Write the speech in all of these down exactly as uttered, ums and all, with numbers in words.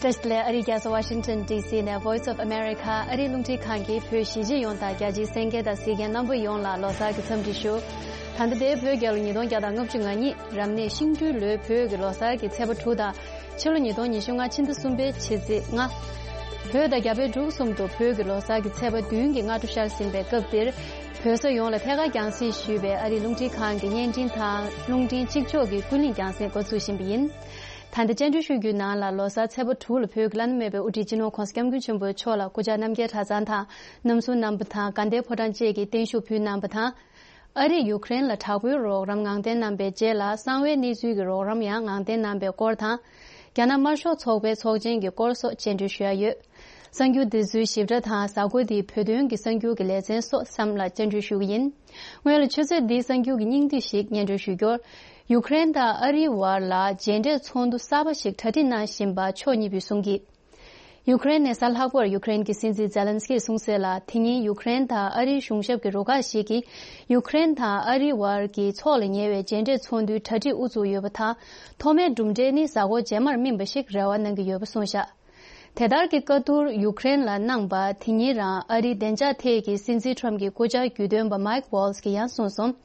བཀྲ་ཤིས་བདེ་ལེགས། ཨ་རིའི་རྒྱལ་ས་ཝ་ཤིང་ཊོན་ཌི་སི་ནས་Voice of America ཨ་རིའི་རླུང་འཕྲིན་ཁང་གིས་བོད་གཞིས་བྱེས་ཡོངས་དང་རྒྱ་ཆེའི་གསན་མཁན་དང་གཟིགས་མཁན་རྣམ་པ་ཡོངས་ལ་ལོ་གསར་གྱི་འཚམས་འདྲི་ཞུ། ད་ལྟ་དེའི་བོད་རྒྱལ་ལོ་ཉིས་སྟོང་བརྒྱ་དང་ལྔ་བཅུ་ང་གཉིས་རབ་གནས་ཤིང་སྦྲུལ་ལོའི་བོད་ཀྱི་ལོ་གསར་གྱི་ཚེས་པ་དྲུག་དང་། ཕྱི་ལོ་ཉིས་སྟོང་ཉི་ཤུ་ལྔ་ཕྱི་ཟླ་གསུམ་པའི་ཕྱི་ཚེས་ལྔ། བོད་དང་རྒྱ་བལ་འབྲུག་གསུམ་དུ་བོད་ཀྱི་ལོ་གསར་གྱི་ཚེས་པ་བདུན་གྱི་སྔ་དྲོ་ཤར་ཟིན་པའི་སྐབས་འདིར། བོད་ས་ཡོངས་ལ་ཐད་ཀར་རྒྱང་སྲིང་ཞུས་པའི་ཨ་རིའི་རླུང་འཕྲིན་ཁང་གི་བརྙན་འཕྲིན་དང་རླུང་འཕྲིན་གཅིག་ལྕོགས་ཀྱི་ཀུན་གླེང་རྒྱང་སྲིང་འགོ་ཚུགས་བཞིན་པ་ཡིན། ད་ལྟ་བཅར་འདྲི་ཞུ་རྒྱུའི་ནང་ལ་ལོ་གསར་ཚེས་པ་དྲུག་ལ་བོད་ཀྱི་བླ་ན་མེད་པའི་དབུ་ཁྲིད་སྤྱི་ནོར་༧གོང་ས་༧སྐྱབས་མགོན་ཆེན་པོ་མཆོག་ལ་སྐུ་བཅར་རྣམ་རྒྱལ་གྲྭ་ཚང་དང་རྣམ་གསུམ་རྣམ་པ་དང་དགའ་ལྡན་ཕོ་བྲང་བཅས་ཀྱིས་བརྟན་བཞུགས་ཕུལ་གནང་བ་དང་། ཨ་རིས་ཡུ་ཀེ་རེན་ལ་དྲག་པོའི་རོགས་རམ་ངང་བསྟན་གནང་པའི་རྗེས་ལ་གསང་བའི་གནས་ཚུལ་གྱི་རོགས་རམ་ཡང་ངང་བསྟན་གནང་པའི་སྐོར་དང་། རྒྱ་ནག་དམར་ཤོག་ཚོགས་པའི་ཚོགས་ཆེན་གྱི་སྐོར་སོགས་བཅར་འདྲི་ཞུ་ཡ་ཡོད། གསར་འགྱུར་འདི་ཚོའི་ཞིབ་ཕྲ་དང་གཟའ་འཁོར་འདིའི་བོད་དོན་གྱི་གསར་འགྱུར་གྱི་ལེ་ཚན་སོགས་གསུམ་ལ་བཅར་འདྲི་ཞུ་གི་ཡིན། སྔོན་ལ་ཆུ་ཚོད་འདིའི་གསར་འགྱུར་གྱི་སྙིང་བསྡུས་ཤིག་སྙན་སྒྲོན་ཞུ་རྒྱུར། ཡུ་ཀེ་རེན་དང་ཨ་རིའི་བར་ལ་མཇལ་འཕྲད་ཚོགས་འདུ་གསར་པ་ཞིག་གྲ་སྒྲིག་གནང་བཞིན་པ་ཕྱོགས་གཉིས་པོས་གསུངས་ཀྱིས། ཡུ་ཀེ་རེན་ནས་གཟའ་ལྷག་པར་ཡུ་ཀེ་རེན་གྱི་སྲིད་འཛིན་ཛེ་ལན་སི་ཀིས་གསུངས་གསལ་ལ། དེ་ཉིན་ཡུ་ཀེ་རེན་དང་ཨ་རིའི་གཞུང་ཞབས་ཀྱི་རུ་ཁག་ཞིག་གིས་ཡུ་ཀེ་རེན་དང་ཨ་རིའི་བར་གྱི་ཚོགས་ལ་ཉེ་བའི་མཇལ་འཕྲད་ཚོགས་འདུའི་གྲ་སྒྲིག་དབུ་བཙུགས་ཡོད་པ་དང་། ཐོག་མའི་གྲུབ་འབྲས་ནི་གཟའ་འཁོར་རྗེས་མར་སྨིན་པ་ཞིག་རེ་བ་གནང་གི་ཡོད་པ་གསུངས་བཞག་དེ་ལྟར་གྱི་བཀའ་བསྡུར་ཡུ་ཀེ་རེན་ལ་གནང་པ་དེ་ཉིན་རང་ཨ་རིའི་བདེ་འཇགས་ཐད་ཀྱི་སྲིད་འཛིན་ཁྲོམ་གྱི་སྐུ་བཅར་རྒྱུན་གཏན་པ་མའིག་ཝོལ་ཛི་གིས་ཡང་གསུངས་སོང་།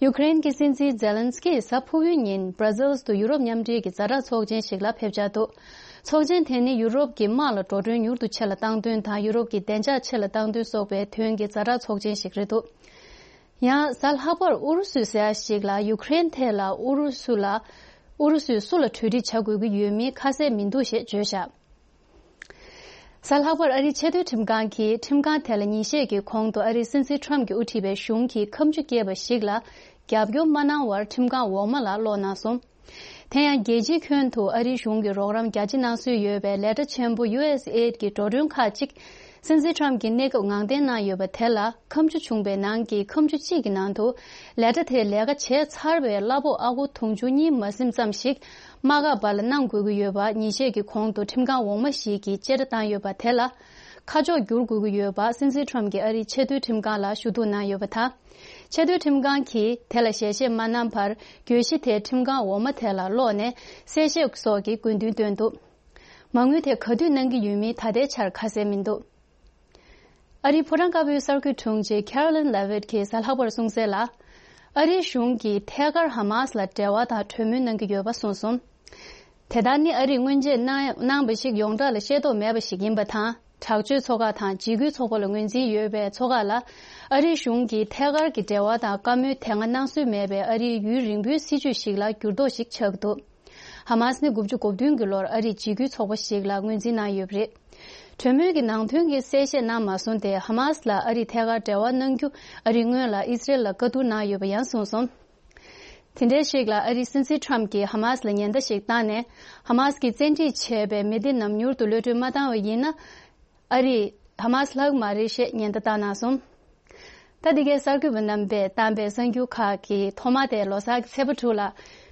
ཡུ་ཀེ་རེན་གྱི་སྲིད་འཛིན་ཛེ་ལན་སི་ཀིས་གཟའ་ཕུར་བུའི་ཉིན་སྦྲ་སིལ་དུ་ཡུ་རོབ་མཉམ་འབྲེལ་གྱི་ཛ་དྲག་ཚོགས་ཆེན་ཞིག་ལ་ཕེབས་འཆར་འདུག་ཚོགས་ཆེན་དེ་ནི་ཡུ་རོབ་ཀྱི་དམག་ལ་འགྲོ་གྲོན་མྱུར་དུ་ཆེ་ལ་གཏང་དོན་དང་ཡུ་རོབ་ཀྱི་བདེ་འཇགས་ཆེ་ལ་གཏང་དོན་སོགས་པའི་དོན་གྱི་ཛ་དྲག་ཚོགས་ཆེན་ཞིག་རེད་འདུག་ཡང་གཟའ་ལྷག་པར་ཨུ་རུ་སུས་ཟེར་ཡ་ཞིག་ལ་ཡུ་ཀེ་རེན་ཐད་ལ་ཨུ་རུ་སུ་ལ་ཨུ་རུ་སུས་སུ་ལ་གྲོས་འགྲིག་བྱ་དགོས་ཀྱི་ཡོད་མིན་ཁ་གསལ་མི་འདུག་ཞེས་བརྗོད་བཞག་གཟའ་ལྷག་པར་ཨ་རིའི་ཆེས་མཐོའི་ཁྲིམས་ཁང་གིས་ཁྲིམས་ཁང་དེ་ལ་ཉིན་ཤས་ཀྱི་གོང་དུ་ཨ་རིའི་སྲིད་འཛིན་ཁྲོམ་གྱིས་དབུ་ཁྲིད་པའི་གཞུང་གིས་ཁ་མཆུ་སྐྱེས་པ་ཞིག་ལ་རྒྱབ་སྐྱོར་མ་གནང་བར་ཁྲིམས་ཁང་འོག་མ་ལ་སློག་གནང་སོང་། དེ་ཡང་རྒྱལ་སྤྱིའི་ཁྱོན་དུ་ཨ་རིའི་གཞུང་གིས་རོགས་རམ་རྒྱ་ཆེ་གནང་སྲོལ་ཡོད་པའི་ལས་གྲྭ་ཆེན་པོ་ཡུ་ཨེས་ཨེ་ཌི་གི་འགྲོ་གྲོན་ཁག་ཅིག་སྲིད་འཛིན་ཁྲོམ་གྱིས་གནས་སྐབས་ངང་བསྟན་གནང་ཡོད་པ་དེ་ལ་ཁ་མཆུ་བྱུང་པའི་ནང་གི་ཁ་མཆུ་གཅིག་གི་ནང་དུ་ལས་གྲྭ་དེས་ལས་ཀ་བྱས་ཚར་བའི་གླ་ཕོགས་ཨ་སྒོར་དུང་ཕྱུར་གཉིས་མ་ཟིན་ཙམ་ཞིག་དམག་འཁྲུག་པ་ལ་གནང་དགོས་ཀྱི་ཡོད་པ་ཉིན་ཤས་ཀྱི་གོང་དུ་ཁྲིམས་ཁང་འོག་མ་ཞིག་གིས་བཅད་ཁྲ་བཏང་ཡོད་པ་དེ་ལ་ཁ་ཕྱོགས་བསྒྱུར་དགོས་ཀྱི་ཡོད་པ་སྲིད་འཛིན་ཁྲོམ་གྱིས་ཨ་རིའི་ཆེས་མཐོའི་ཁྲིམས་ཁང་ལ་ཞུ་གཏུག་གནང་ཡོད་པ་དང་། ཆེས་མཐོའི་ཁྲིམས་ཁང་གིས་དེ་ལ་ཞལ་བཞེས་མ་གནང་བར་གྱོད་གཞི་དེ་ཁྲིམས་ཁང་འོག་མ་དེ་ལ་སློག་ནས་གསལ་བཤད་སོགས་ཀྱི་དགོས་འདུན་བཏོན་འདུག་མ་དངུལ་དེ་ག་དུས་གནང་གི་ཡོད་མིན་ད་ལྟའི་ཆར་ཁ་གསལ་མི་འདུག་ཨ་རིའི་ཕོ་བྲང་དཀར་པོའི་གསར་འགོད་དྲུང་ཆེ་ཁེ་རོ་ལིན་ལེ་ཝིད་ཀྱིས་གཟའ་ལྷག་པར་གསུངས་གསལ་ལ། ཨ་རིའི་གཞུང་གིས་ཐད་ཀར་ཧ་མ་སི་ལ་འབྲེལ་བ་དང་གྲོས་མོལ་གནང་གི་ཡོད་པ་གསུངས་སོང་། དེ་ལྟར་ནི་ཨ་རིས་སྔོན་ཆད་གནང་གནང་བ་ཞིག་ཡོངས་གྲགས་ལ་ཤེས་རྟོགས་མེད་པ་ཞིག་ཡིན་པ་དང་། དྲག་སྤྱོད་ཚོགས་ཁག་དང་འཇིགས་སྐུལ་ཚོགས་པ་ལ་ངོས་འཛིན་ཡོད་པའི་ཚོགས་ཁག་ལ་ཨ་རིའི་གཞུང་གིས་ཐད་ཀར་གྱི་འབྲེལ་བ་དང་བཀའ་མོལ་དེ་སྔ་གནང་སྲོལ་མེད་པའི་ཨ་རིའི་ཡུན་རིང་པོའི་སྲིད་བྱུས་ཤིག་ལ་འགྱུར་ལྡོག་ཞིག་ཆགས་ཀྱི་འདུག་ཧ་མ་སི་ནི་དགུ་བཅུ་གོ་བདུན་གྱི་ལོར་ཨ་རིའི་འཇིགས་སྐུལ་ཚོགས་པ་ཞིག་ལ་ངོས་འཛིན་གནང་ཡོད་པ་རེད། གྲོས་མོལ་གྱི་ནང་དོན་གྱི་གསལ་བཤད་གནང་མ་སོང་སྟེ། ཧ་མ་སི་ལ་ཨ་རིས་ཐད་ཀར་འབྲེལ་བ་གནང་རྒྱུ་ཨ་རིས་སྔོན་ལ་ཨི་སི་རེལ་ལ་བཀའ་བསྡུར་གནང་ཡོད་པ་ཡང་གསུངས་སོང་། དེ་འདྲའི་ཞིག་ལ་ཨ་རིའི་སྲིད་འཛིན་ཁྲམ་གྱིས་ཧ་མ་སི་ལ་ཉེན་བརྡ་ཞིག་བཏང་ནས། ཧ་མ་སི་གིས་བཙན་ཁྲིད་བྱས་པའི་མི་སྡེ་རྣམས་མྱུར་དུ་གློད་གྲོལ་མ་བཏང་བ་ཡིན་ན། ཨ་རིས་ཧ་མ་སི་ལྷག་མ་རེད་ཞེས་ཉེན་བརྡ་བཏང་གནང་སོང་། ད་འདི་གའི་གསར་འགོད་པ་རྣམ་པས་བཏང་པའི་གསར་འགྱུར་ཁག་གི་ཐོག་མ་དེ་ལོ་གསར་གྱི་ཚེས་པ་དྲུག་ལ་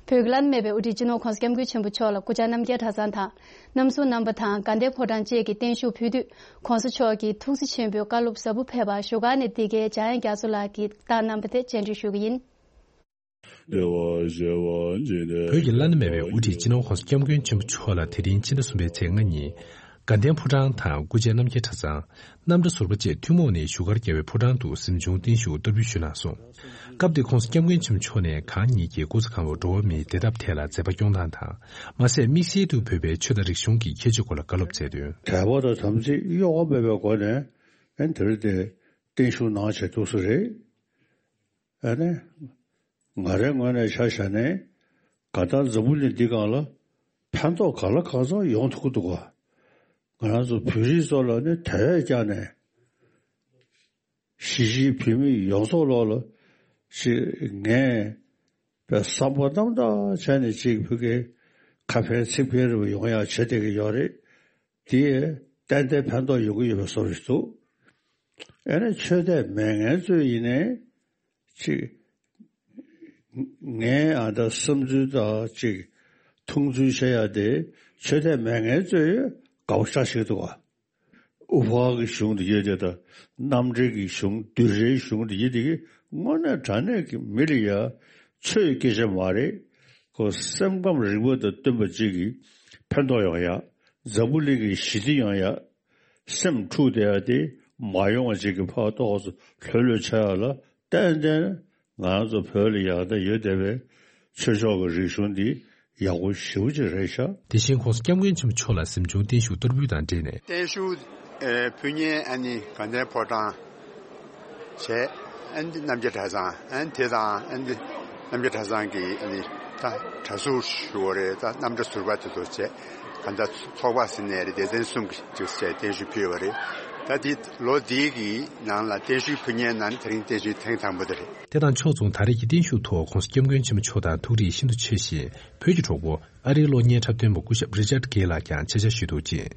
བོད་ཀྱི་བླ་ན་མེད་པའི་དབུ་ཁྲིད་སྤྱི་ནོར་༧གོང་ས་༧སྐྱབས་མགོན་ཆེན་པོ་མཆོག་ལ་སྐུ་བཅར་རྣམ་རྒྱལ་གྲྭ་ཚང་དང་། རྣམ་གསུམ་རྣམ་པ་དང་དགའ་ལྡན་ཕོ་བྲང་བཅས་ཀྱིས་བརྟན་བཞུགས་ཕུལ་དུས། ༸གོང་ས་མཆོག་གིས་ཐུགས་རྗེ་ཆེན་པོའི་བཀའ་སློབ་ཟབ་པོ་ཕེབས་པར་བཞུགས་སྒར་ནས་འདི་གའི་འཇམ་དབྱངས་རྒྱ་མཚོ་ལགས་ཀྱིས་བཏང་གནང་པ་དེ་བཅར་འདྲི་ཞུ་གི་ཡིན། བོད་ཀྱི་བླ་ན་མེད་པའི་དབུ་ཁྲིད་སྤྱི་ནོར་༸གོང་ས་༸སྐྱབས་མགོན་ཆེན་པོ་མཆོག་ལ་དེ་རིང་ཕྱི་ཟླ་གསུམ་པའི་ཚེས་ལྔ་ཉིན། དགའ་ལྡན་ཕོ་བྲང་དང་སྐུ་བཅར་རྣམ་རྒྱལ་གྲྭ་ཚང་། རྣམ་གྲྭ་ཟུར་པ་བཅས་ཐུན་མོང་ནས་བཞུགས་སྒར་རྒྱལ་བའི་ཕོ་བྲང་དུ་གཟིམ་ཆུང་བརྟན་བཞུགས་བསྟར་འབུལ་ཞུས་གནང་སོང་། སྐབས་དེར་༸གོང་ས་༸སྐྱབས་མགོན་ཆེན་པོ་མཆོག་ནས་གང་ཉིད་ཀྱི་སྐུ་ཚེ་གང་བོར་འགྲོ་བ་མིའི་བདེ་ཐབས་ཐད་ལ་མཛད་པ་སྐྱོང་སྟངས་དང་། མ་ཟད་དམིགས་བསལ་དུ་བོད་པའི་ཆོས་དང་རིག་གཞུང་གི་ཁྱད་ཆོས་སྐོར་ལ་བཀའ་སློབ་སྩལ་དོན། དད་པ་དང་དམ་ཚིག་གཡོ་བ་མེད་པའི་སྒོ་ནས་ཨ་ནི་དེ་རིང་དེ་བརྟན་བཞུགས་གནང་བྱས་འདུག་ས་རེད། ཨ་ནི། ང་རའི་ངོས་ནས་ཆ་བཞག་ནས་ག་ད་འཛམ་བུ་གླིང་འདི་སྒང་ལ་ཕན་ཐོགས་ག་ལ་གང་འཚམ་ཡོང་ཐུབ་ཀྱི་འདུག་ག་ང་རང་ཚོ་བོད་རིགས་ཚོ་ལ་ནི་དད་བས་ཀྱང་ནས་གཞིས་བྱེས་བོད་མི་ཡོངས་རྫོགས་ལོག་ལ་ཞིག་ངས་པའི་བསམ་པ་རྣམ་དག་བྱས་ནས་ཅིག་བོད་ཀྱི་ཁ་ཕན་ཚིག་ཕན་རེ་བ་ཡོང་ཡག་བྱེད་བསྡད་ཀྱི་ཡོད་རེད། དེས་ཏན་ཏན་ཕན་ཐོགས་ཡོང་གི་ཡོད་པའི་བཟོ་འདྲ་ཞིག་འདུག་ཨ་ནི་ཆོས་དད་མེད་མཁན་ཚོས་ཡིན་ནའི་ཅིག་ངའི་ཨ་ད་བསམ་ཚུལ་དང་ཅིག་མཐོང་ཚུལ་བཤད་ཡ་དེ་ཆོས་དད་མེད་མཁན་ཚོས་དགའ་པོ་ཞེ་དྲག་ཞིག་འདུག་ག་ཨུ་ཕག་གི་གཞུང་དེ་ཡོད་དེ་དང་། གནམ་འབྲེལ་གྱི་གཞུང་། བདུད་རའི་གཞུང་དེ་ཡོད་དེ་གི་དངོས་གནས་དྲང་གནས་ཀྱི་མི་ལ་ཡ་ཆོས་སྐད་ཆ་མ་རེད། ཁོ་སེམས་ཁམས་རིག་པ་དང་བསྟུན་པ་ཅིག་གིས་ཕན་ཐོགས་ཡོང་ཡ། འཛམ་བུ་གླིང་གི་ཞི་བདེ་ཡོང་ཡ། སེམས་འཁྲུག་བསྡད་ཡ་དེ་མ་ཡོང་བ་ཅིག་གི་ཕར་ཏོག་ཙམ་ལྷོད་ལྷོད་ཆགས་ཡ་ལ་ཏན་ཏན་ང་རང་ཚོ་བོད་ལ་ཡག་བསྡད་ཡོད་བསྡད་པའི་ཆོས་ཕྱོགས་ཀྱི་རིག་གཞུང་འདི་ཡག་པོ་ཞེ་པོ་ཅིག་རེད་ཤག་དེ་བཞིན་༸གོང་ས་༸སྐྱབས་མགོན་ཆེན་པོ་མཆོག་ལ་གཟིམ་ཆུང་བརྟན་བཞུགས་གཏོར་འབུལ་དང་འབྲེལ་ནས། བརྟན་བཞུགས་ཨེ་ཕུལ་མཁན་ཨ་ནི་དགའ་ལྡན་ཕོ་བྲང་བྱས། ཨ་ནི་རྣམ་རྒྱལ་གྲྭ་ཚང་། ཨ་ནི་དེ་དང་ཨ་ནི་རྣམ་རྒྱལ་གྲྭ་ཚང་གི་ཨ་ནི་ད་གྲྭ་ཟུར་ཞུ་བ་རེད། ད་རྣམ་གྲྭ་ཟུར་པ་དེ་ཚོ་བྱས། གང་ལྟར་ཚོགས་པ་ཟེར་ནའི་རེད། སྡེ་ཚན་གསུམ་གྱི་ཅིག་བྱས་བརྟན་བཞུགས་ཕུལ་བ་རེད། ད་དེ་ལོ་འདིའི་གི་ནང་ལ་བརྟན་བཞུགས་ཕུལ་མཁན་ནང་དེ་རིང་བརྟན་བཞུགས་ཐེངས་དང་པོ་དེ་རེད། དེ་དང་ཕྱོགས་མཚུངས་ད་རེས་ཀྱི་བརྟན་བཞུགས་ཐོག་༸གོང་ས་༸སྐྱབས་མགོན་ཆེན་པོ་མཆོག་དང་ཐུགས་རེ་ཤིན་ཏུ་ཆེ་ཞིང་། བོད་ཀྱི་གྲོགས་པོ་ཨ་རིའི་གློག་བརྙན་འཁྲབ་སྟོན་པ་སྐུ་ཞབས་རི་ཅར་གྷེ་ལགས་ཀྱང་ཆེད་བཅར་ཞུས་འདུག་ཅིང་།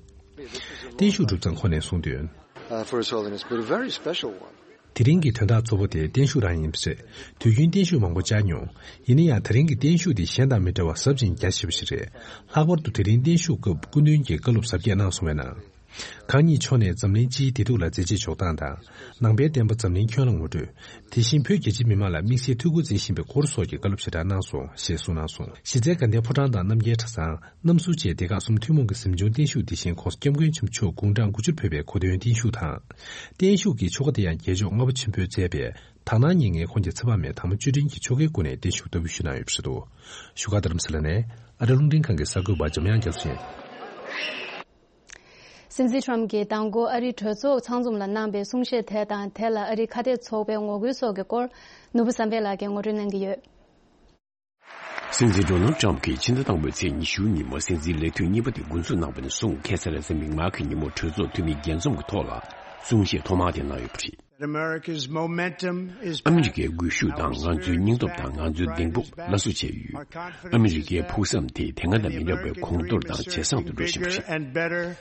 བརྟན་བཞུགས་གྲུབ་ཙང་ཁོང་ནས་གསུངས་དོན། Uh, for His Holiness, but a very special one. དེ་རིང་གི་དོན་དག་གཙོ་བོ་དེ་བརྟན་བཞུགས་རང་ཡིན་པ་རེད། དུས་རྒྱུན་བརྟན་བཞུགས་མང་པོ་བཅར་མྱོང་། ཡིན་ན་ཡང་དེ་རིང་གི་བརྟན་བཞུགས་དེ་གཞན་དང་མི་འདྲ་བ་ཟབ་ཅིང་རྒྱ་ཆེ་བ་ཞིག་རེད། ལྷག་པར་དུ་དེ་རིང་བརྟན་བཞུགས་སྐབས་སྐུ་མདུན་གྱིས་བཀའ་སློབ་གཟབ་རྒྱས་གནང་སོང་བའི་ནང་། གང་ཉིད་མཆོག་ནས་འཛམ་གླིང་སྤྱིའི་བདེ་སྡུག་ལ་མཛད་རྗེས་འཇོག་སྟངས་དང་། ནང་པའི་བསྟན་པ་འཛམ་གླིང་ཁྱོན་ལ་ངོ་སྤྲོད། དེ་བཞིན་བོད་རྒྱ་ཆེའི་མི་མང་ལ་དམིགས་བསལ་ཐུགས་ཁུར་འཛིན་བཞིན་པའི་སྐོར་སོགས་ཀྱི་བཀའ་སློབ་ཞེ་དྲག་གནང་སོང་ཞེས་གསུངས་གནང་སོང་། གཞི་རྩའི་དགའ་ལྡན་ཕོ་བྲང་དང་རྣམ་རྒྱལ་གྲྭ་ཚང་། གནམ་ཟུར་བཅས་སྡེ་ཁག་གསུམ་ཐུན་མོང་གི་གཟིམ་ཆུང་བརྟན་བཞུགས་དེ་བཞིན་༸གོང་ས་༸སྐྱབས་མགོན་ཆེན་པོ་མཆོག་དགུང་གྲངས་དགུ་བཅུར་ཕེབས་པའི་གོ་སྟོན་བརྟན་བཞུགས་དང་། བརྟན་བཞུགས་ཀྱི་ཆོ་ག་དེ་ཡང་རྒྱལ་མཆོག་ལྔ་པ་ཆེན་པོས་མཛད་པའི་དག་སྣང་བརྙན་ལྔའི་འཁོར་གྱི་ཚེ་དཔག་མེད་དར་མ་བཅུ་དྲིལ་གྱི་ཆོ་གའི་སྒོ་ནས་བརྟན་བཞུགས་བསྟར་འབུལ་ཞུས་གནང་ཡོད་པ་རེད་འདུག་བཞུགས་སྒར་རྡ་རམ་ས་ལ་ནས་ཨ་རི་རླུང་འཕྲིན་ཁང་གི་གསར་འགོད་པ་འཇམ་དབྱངས་རྒྱ་མཚོ་ཡིན། སྲིད་འཛིན་ཊམ་གྱིས་མདང་དགོང་ཨ་རིའི་གྲོས་ཚོགས་ཚང་འཛོམས་ལ་གནང་པའི་གསུང་བཤད་དེ་དང་དེ་ལ་ཨ་རིའི་ཁ་གཏད་ཚོགས་པའི་ངོ་རྒོལ་སོགས་ཀྱི་སྐོར་ནོར་བུ་བསམ་འཕེལ་ལགས་ཀྱིས་ངོ་སྤྲོད་གནང་གི་ཡོད། སྲིད་འཛིན་ཌོ་ནལ་ཊམ་གྱིས་ཕྱི་ཟླ་དང་པོའི་ཚེས་ཉི་ཤུ་ཉིན་མོ་སྲིད་འཛིན་ལས་དུས་གཉིས་པ་དེ་འགོ་འཛུགས་གནང་པ་ནས་བཟུང་ཁ་སང་རེས་གཟའ་མིག་དམར་གྱི་ཉིན་མོ་གྲོས་ཚོགས་འཐུས་མི་བརྒྱད་འཛོམས་ཀྱི་ཐོག་ལ་གསུང་བཤད་ཐོག་མ་དེ་གནང་ཡོད་པ་རེད། America's momentum is ཨ་མི་རི་ཀའི་སྒུལ་ཤུགས་དང་ང་ཚོའི་སྙིང་སྟོབས་དང་ང་ཚོའི་གདེང་སྤོབས་སླར་གསོ་བྱས་ཡོད། ཨ་མི་རི་ཀའི་ཕུགས་བསམ་དེ་དེ་སྔ་དང་མི་འདྲ་བའི་གོང་མཐོར་དང་ཇེ་བཟང་དུ་འགྲོ་བཞིན་པ་རེད།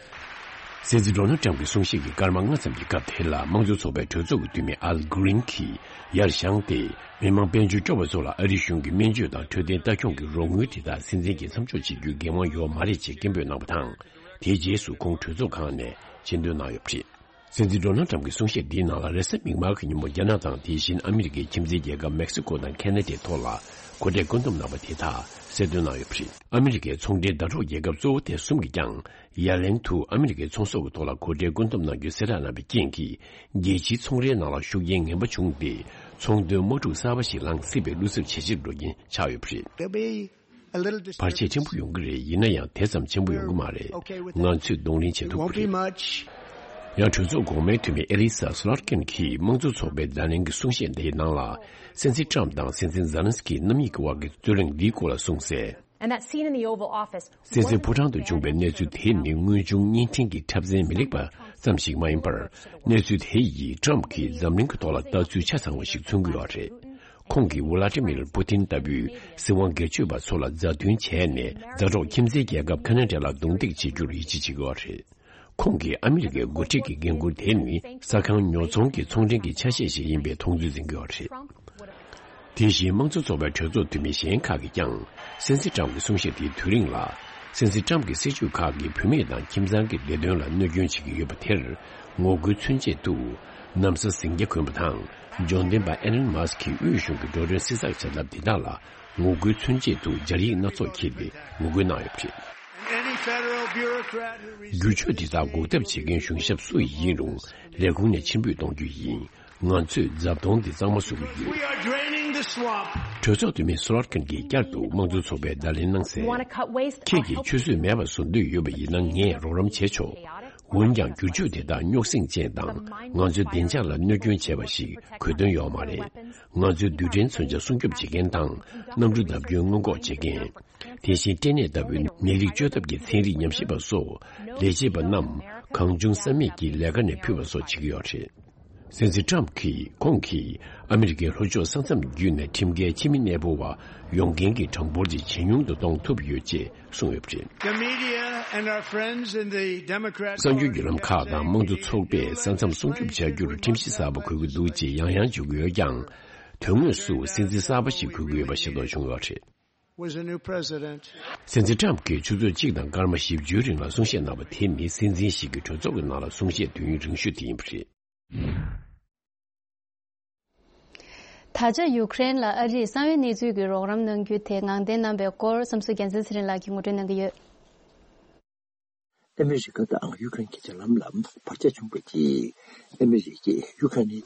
སྲིད་འཛིན་ཌོ་ནལ་ཊམ་གྱི་གསུང་བཤད་ཀྱི་སྐར་མ་ལྔ་ཙམ་གྱི་སྐབས་དེ་ལ་དམངས་གཙོ་ཚོགས་པའི་གྲོས་ཚོགས་ཀྱི་འཐུས་མི་ཨལ་གྷི་རིན་གྱིས་ཡར་བཞེངས་ཏེ། མི་མང་དཔལ་འབྱོར་སྐྱོ་བ་ཚོ་ལ་ཨ་རིའི་གཞུང་གིས་སྨན་བཅོས་དང་འཕྲོད་བསྟེན་ལྟ་སྐྱོང་གི་རོགས་དངུལ་དེ་དག་སྲིད་འཛིན་གྱིས་མཚམས་འཇོག་བྱེད་རྒྱུའི་འགན་དབང་ཡོད་མ་རེད་ཅེས་སྐད་འབོད་གནང་བ་དང་། དེའི་རྗེས་སུ་ཁོང་གྲོས་ཚོགས་ཁང་ནས་ཕྱིར་འདོན་གནང་ཡོད་པ་རེད། སྲིད་འཛིན་ཌོ་ནལ་ཊམ་གྱི་གསུང་བཤད་འདིའི་ནང་ལ་རེས་གཟའ་མིག་དམར་གྱི་ཉིན་མོ་རྒྱ་ནག་དང་དེ་བཞིན་ཨ་མི་རི་ཀའི་ཁྱིམ་མཚེས་རྒྱལ་ཁབ་མེག་སི་ཀོ་དང་ཁེ་ན་ཌའི་ཐོག་ལ་གོ་གྲས་བཀོད་འདོམས་གནང་བ་དེ་དག་གསལ་སྟོན་གནང་ཡོད་པ་རེད། ཨ་མི་རི་ཀའི་ཚོང་འབྲེལ་ཟླ་གྲོགས་རྒྱལ་ཁབ་གཙོ་བོ་དེ་གསུམ་གྱིས་ཀྱང་ཡ་ལན་དུ་ཨ་མི་རི་ཀའི་ཚོང་ཟོག་གི་ཐོག་ལ་གོ་གྲས་བཀོད་འདོམས་གནང་རྒྱུ་གསལ་བསྒྲགས་གནང་བའི་རྐྱེན་གྱིས། རྒྱལ་སྤྱིའི་ཚོང་རའི་ནང་ལ་ཤུགས་རྐྱེན་ངན་པ་བྱུང་སྟེ། ཚོང་དོན་དམག་འཁྲུག་གསར་པ་ཞིག་ལངས་སྲིད་པའི་བློ་འཚབ་ཇེ་ཆེར་འགྲོ་མཁན་ཆགས་ཡོད་པ་རེད། There'll be a little བར་ཆད་ཆེན་པོ་ཡོང་གི་རེད། ཡིན་ན་ཡང་དེ་ཙམ་ཆེན་པོ་ཡོང་གི་མ་རེད། ང་ཚོས་གདོང་ལེན་བྱེད་ཐུབ་ཀྱི་རེད། ཡང་གྲོས་ཚོགས་འགོ་མའི་འཐུས་མི་ཨེ་ལི་ས་སུ་ལར་ཀིན་གྱིས་དམངས་གཙོ་ཚོགས་པའི་བརྡ་ལན་གྱི་གསུང་བཤད་འདིའི་ནང་ལ། སྲིད་འཛིན་ཊམ་དང་སྲིད་འཛིན་ཛེ་ལན་སི་ཀི་རྣམ་གཉིས་ཀྱི་དབར་གྱི་རྩོད་གླེང་འདིའི་སྐོར་ལ་གསུངས་གསལ། And that scene in the Oval Office སྲིད་འཛིན་ཕོ་བྲང་དུ་བྱུང་བའི་གནས་ཚུལ་དེ་ནི་དངོས་བྱུང་བརྙན་འཕྲིན་གྱི་འཁྲབ་ཚན་མི་ལེགས་པ་ཙམ་ཞིག་མ་ཡིན་པར། གནས་ཚུལ་དེ་ཡིས་ཊམ་གྱིས་འཛམ་གླིང་གི་ཐོག་ལ་ལྟ་ཚུལ་ཆ་ཚང་བ་ཞིག་མཚོན་གྱི་ཡོད་རེད། ཁོང་གིས་ཝ་ལ་ཏི་མིར་པུ་ཏིན་ལྟ་བུའི་སྲིད་དབང་སྒེར་གཅོད་པ་ཚོ་ལ་མཛའ་མཐུན་བྱས་ནས། མཛའ་གྲོགས་ཁྱིམ་མཚེས་རྒྱལ་ཁབ་ཁ་ན་ཌ་ལ་རྡུང་རྡེག་བྱེད་རྒྱུར་ཡིད་ཆེས་བྱེད་ཀྱི་ཡོད་རེད། ཁོང་གིས་ཨ་མི་རི་ཀའི་འགོ་ཁྲིད་ཀྱི་འགན་འཁུར་དེ་ནི་ས་ཁང་ཉོ་ཚོང་གི་ཚོང་འབྲེལ་གྱི་ཆ་ཤས་ཤིག་ཡིན་པའི་མཐོང་ཚུལ་འཛིན་གྱི་ཡོད་རེད། དེ་བཞིན་དམངས་གཙོ་ཚོགས་པའི་གྲོས་ཚོགས་འཐུས་མི་གཞན་ཁག་གིས་ཀྱང་། སྲིད་འཛིན་ཊམ་གྱི་གསུང་བཤད་དེའི་དུས་རིང་ལ། སྲིད་འཛིན་ཊམ་གྱི་སྲིད་བྱུས་ཁག་གིས་བུད་མེད་དང་ཁྱིམ་ཚང་གི་བདེ་དོན་ལ་གནོད་སྐྱོན་བྱེད་ཀྱི་ཡོད་པ་དེར་ངོ་རྒོལ་མཚོན་ཆེད་དུ། ན་བཟའ་ཟིང་སྐྱ་གོན་པ་དང་། འབྱོར་ལྡན་པ་ཨེ་ལན་མཱ་སི་ཀིས་དབུས་གཞུང་གི་འགྲོ་གྲོན་བསྲི་ཚགས་བྱ་ཐབས་འདི་དག་ལ་ངོ་རྒོལ་མཚོན་ཆེད་དུ་སྦྱར་ཡིག་སྣ་ཚོགས་འཁྱེར་ཏེ་ངོ་རྒོལ་གནང་ཡོད་པ་རེད། Any federal bureaucrat who resents བསྒྱུར་བཅོས་འདི་དག་འགོག་ཐབས་བྱེད་མཁན་གཞུང་ཞབས་སུ་ཡིན་རུང་ལས་ཁུངས་ནས་ཕྱིར་འབུད་གཏོང་རྒྱུ་ཡིན། ང་ཚོས་རྫབ་དོང་འདི་གཙང་མ་བཟོ་གི་ཡོད། We are draining the swamp. གྲོས་ཚོགས་འཐུས་མི་སུ་ལར་ཀིན་གྱིས་བསྐྱར་དུ་དམངས་གཙོ་ཚོགས་པའི་བརྡ་ལན་གནང་གསལ། Want to cut waste? ཁྱེད་ཀྱིས་ཆུ་ཚོད་མེད་པ་བཟོ་འདོད་ཡོད་པ་ཡིན་ན་ངས་རོགས་རམ་བྱེད་ཆོག་འོན་ཀྱང་བསྒྱུར་བཅོས་དེ་དག་རྙོག་ཟིང་ཅན་དང་ང་ཚོའི་བདེ་འཇགས་ལ་གནོད་སྐྱོན་བྱས་པ་ཞིག་གོ་དོན་ཡོད་མ་རེད། ང་ཚོའི་རྡུལ་ཕྲན་མཚོན་ཆ་སྲུང་སྐྱོབ་བྱེད་མཁན་དང་གནམ་གྲུ་བརྡབ་སྐྱོན་སྔོན་འགོག་བྱེད་མཁན། དེ་བཞིན་སྐྲན་ནད་ལྟ་བུའི་ནད་རིགས་བཅོས་ཐབས་ཀྱི་ཚན་རིག་ཉམས་ཞིབ་པ་སོགས་ལས་བྱེད་པ་རྣམས་གང་བྱུང་བསམ་མེད་ཀྱིས་ལས་ཀ་ནས་ཕུད་པ་སོགས་བྱེད་ཀྱི་ཡོད་རེད། སྲིད་འཛིན་ཊམ་གྱིས་ཁོང་གིས་ཨ་མི་རི་ཀའི་ལྷོ་ཕྱོགས་ས་མཚམས་བརྒྱུད་ནས་ཁྲིམས་འགལ་ཕྱི་མི་གནས་སྤོ་བ་ཡོང་མཁན་གྱི་གྲངས་འབོར་དེ་ཇེ་ཉུང་དུ་གཏོང་ཐུབ་ཡོད་ཅེས་གསུངས་ཡོད་པ་རེད། The media and our friends in the Democrat གསར་འགྱུར་བརྒྱུད་ལམ་ཁག་དང་དམངས་གཙོ་ཚོགས་པས་ས་མཚམས་སྲུང་སྐྱོབ་བྱ་རྒྱུར་ཁྲིམས་གཞི་གསར་པ་དགོས་ཀྱི་འདུག་ཅེས་ཡང་ཡང་བརྗོད་ཀྱི་ཡོད་ཀྱང་། དོན་དངོས་སུ་སྲིད་འཛིན་གསར་པ་ཞིག་དགོས་ཀྱི་ཡོད་པ་ཤེས་རྟོགས་བྱུང་ཡོད་རེད། Was a new president. སྲིད་འཛིན་ཊམ་གྱིས་ཆུ་ཚོད་གཅིག་དང་སྐར་མ་བཞི་བཅུའི་རིང་ལ་གསུང་བཤད་གནང་བ་དེ་ནི་སྲིད་འཛིན་ཞིག་གི་གྲོས་ཚོགས་ཀྱི་ནང་ལ་གསུང་བཤད་དུས་ཡུན་རིང་ཤོས་དེ་ཡིན་པ་རེད། ད་ཆ་ཡུཀ་རེན་ལ་ཨ་རིས་གསང་བའི་གནས་ཚུལ་གྱི་རོགས་རམ་གནང་རྒྱུ་དེ་ངང་བརྟན་གནང་བའི་སྐོར་བསམ་གཟིགས་རྒྱལ་མཚན་ཚེ་རིང་ལགས་ཀྱིས་ངོ་སྤྲོད་གནང་གི་ཡོད། ཨ་མི་རི་ཀ་དང་ཡུ་ཀེ་རེན་གྱི་འབྲེལ་ལམ་ལ་བར་ཆད་བྱུང་བའི་རྗེས། ཨ་མི་རི་ཀས་ཡུ་ཀེ་རེན་དང་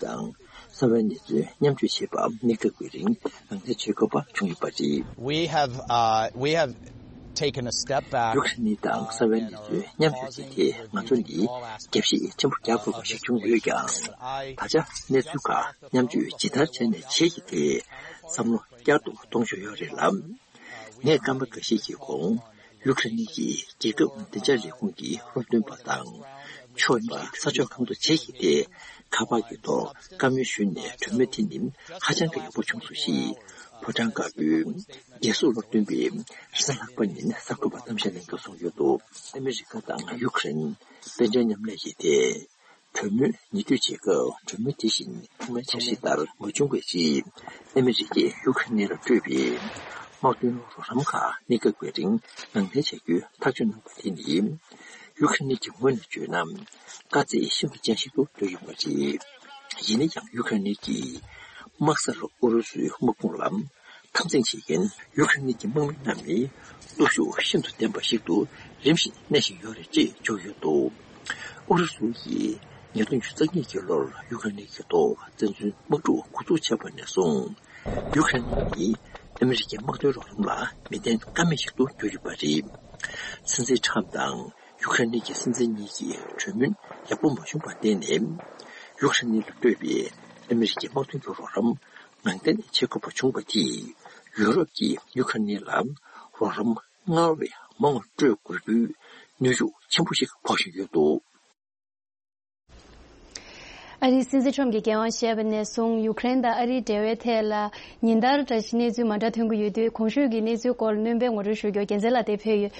གསང་བའི་གནས་ཚུལ་མཉམ་སྤྱོད་བྱེད་པ་གནས་སྐབས་ཀྱི་རིང་ནང་འདྲེན་བྱེད་དགོས་པ་བྱུང་ཡོད་པ་རེད། We have, uh, we have taken a step back. ཡུ་ཀེ་རེན་དང་གསང་བའི་གནས་ཚུལ་མཉམ་སྤྱོད་བྱེད་ཐད་ང་ཚོ་ནི་རྒྱབ་བཤིག་ཆེན་པོ་རྒྱག་དགོས་པ་ཞིག་བྱུང་ཡོད་ཀྱང་། ད་ཆ་གནས་ཚུལ་ཁག་མཉམ་སྤྱོད་ཇི་ལྟར་བྱས་ནས་བྱེད་ཀྱི་ཐད་བསམ་བློ་བསྐྱར་དུ་གཏོང་བཞིན་ཡོད་རེད་ལ། ངས་སྐར་མ་འགའ་ཤས་ཀྱི་གོང་ཡུ་ཀེ་རེན་གྱི་རྒྱལ་ཁབ་བདེ་འཇགས་ལས་ཁུངས་ཀྱི་སློབ་སྟོན་པ་དང་། ཕྱོགས་གཉིས་ཀྱི་ས་ཕྱོགས་གང་དུ་བྱེད་ཀྱི་ཐད་ཁ་པར་གྱི་ཐོག་བཀའ་མོལ་ཞུས་ནས་གྲོས་མོལ་དེ་ནི་ཧ་ཅང་གི་ཡག་པོ་བྱུང་སོང་ཞེས་ཕོ་བྲང་དཀར་པོའི་རྒྱལ་སྲུང་སློབ་སྟོན་པས་རེས་གཟའ་ལྷག་པ་ཉིན་གསར་འགོད་པར་གཏམ་བཤད་གནང་སྐབས་གསུངས་ཡོད་འདུག་ཨ་མི་རི་ཀ་དང་ཡུ་ཀེ་རེན་དཔལ་འབྱོར་མཉམ་ལས་ཀྱི་ཐད། གྲོས་མོལ་ཉེ་སྡུད་བྱེད་སྐབས་གྲོས་མོལ་དེ་བཞིན་ཐོག་མའི་འཆར་གཞི་ལྟར་མ་བྱུང་བའི་རྗེས། ཨ་མི་རི་ཀས་ཡུ་ཁ་ནི་ལ་སྤྲོད་པའི་དམག་དོན་རོགས་རམ་ཁག་གནས་སྐབས་ཀྱི་རིང་ནང་འདྲེན་བྱ་རྒྱུའི་ཐག་གཅོད་གནང་བ་དེ་ནི། ཡུ་ཁ་ནི་གྱི་ངོས་ནས་བརྗོད་ན། དཀའ་ཚེགས་ཤིན་ཏུ་ཅན་ཞིག་ཏུ་གྱུར་ཡོད་པ་རེད། ཡིན་ན་ཡང་ཡུ་ཁ་ནི་གིས་དམག་སར་ཨུ་རུ་སུའི་དམག་དཔུང་ལ། འཐབ་འཛིང་བྱེད་མཁན་ཡུ་ཁ་རེན་གྱི་དམག་མི་རྣམས་ནི་སྟོབས་ཤུགས་ཤིན་ཏུ་ལྡན་པ་ཞིག་ཏུ་རིམ་བཞིན་གནས་བཞིན་ཡོད་རེད་ཅེས་བརྗོད་ཡོད་འདུག་ཨུ་རུ་སུ་ཡིས་ཉིས་སྟོང་ཉི་ཤུ་རྩ་གཉིས་ཀྱི་ལོར་ཡུ་ཁ་རེན་གྱི་ཐོག་བཙན་འཛུལ་དམག་འཁྲུག་འགོ་འཛུགས་བྱས་པ་ནས་བཟུང་། ཡུ་ཁ་རེན་ནི་ཨ་མི་རི་ཀའི་དམག་དོན་རོགས་རམ་ལ་མི་བརྟེན་ཀ་མེད་ཞིག་ཏུ་གྱུར་ཡོད་པ་རེད། སྲིད་འཛིན་ཁྲམ་དང་ཡུ་ཁ་རེན་གྱི་སྲིད་འཛིན་གཉིས་ཀྱི་གྲོས་མོལ་ཡག་པོ་མ་བྱུང་བར་བརྟེན་ནས། ཡུ་ཁ་རེན་ལ་སྤྲོད་པའི་ཨ་མི་རི་ཀའི་དམག་དོན་གྱི་རོགས་རམ། ནང་འདྲེན་བྱེད་དགོས་པ་བྱུང་བ་དེས་ཡུ་རོབ་ཀྱིས་ཡུ་ཁ་རེན་ལ་རོགས་རམ་སྔར་བས་མང་བ་སྤྲོད་དགོས་རྒྱུའི་གནོན་ཤུགས་ཆེན་པོ་ཞིག་འཕོག་བཞིན་ཡོད་འདུག་ཨ་རིའི་སྲིད་འཛིན་ཁྲོམ་གྱིས་འགན་དབང་བཞེས་པ་ནས་བཟུང་ཡུ་ཁ་རེན་དང་ཨ་རིའི་འབྲེལ་བའི་ཐད་ལ་ཉིན་ལྟར་བཀྲ་ཤིས་གནས་ཚུལ་མ་འདྲ་ཐོན་གྱི་ཡོད་དུས། གོང་ཞུས་ཀྱི་གནས་ཚུལ་སྐོར་སྣོན་པའི་ངོ་སྤྲོད་ཞུ་རྒྱུར་རྒྱལ་མཚན་ལགས་དེ་ཕེབས་ཡོད།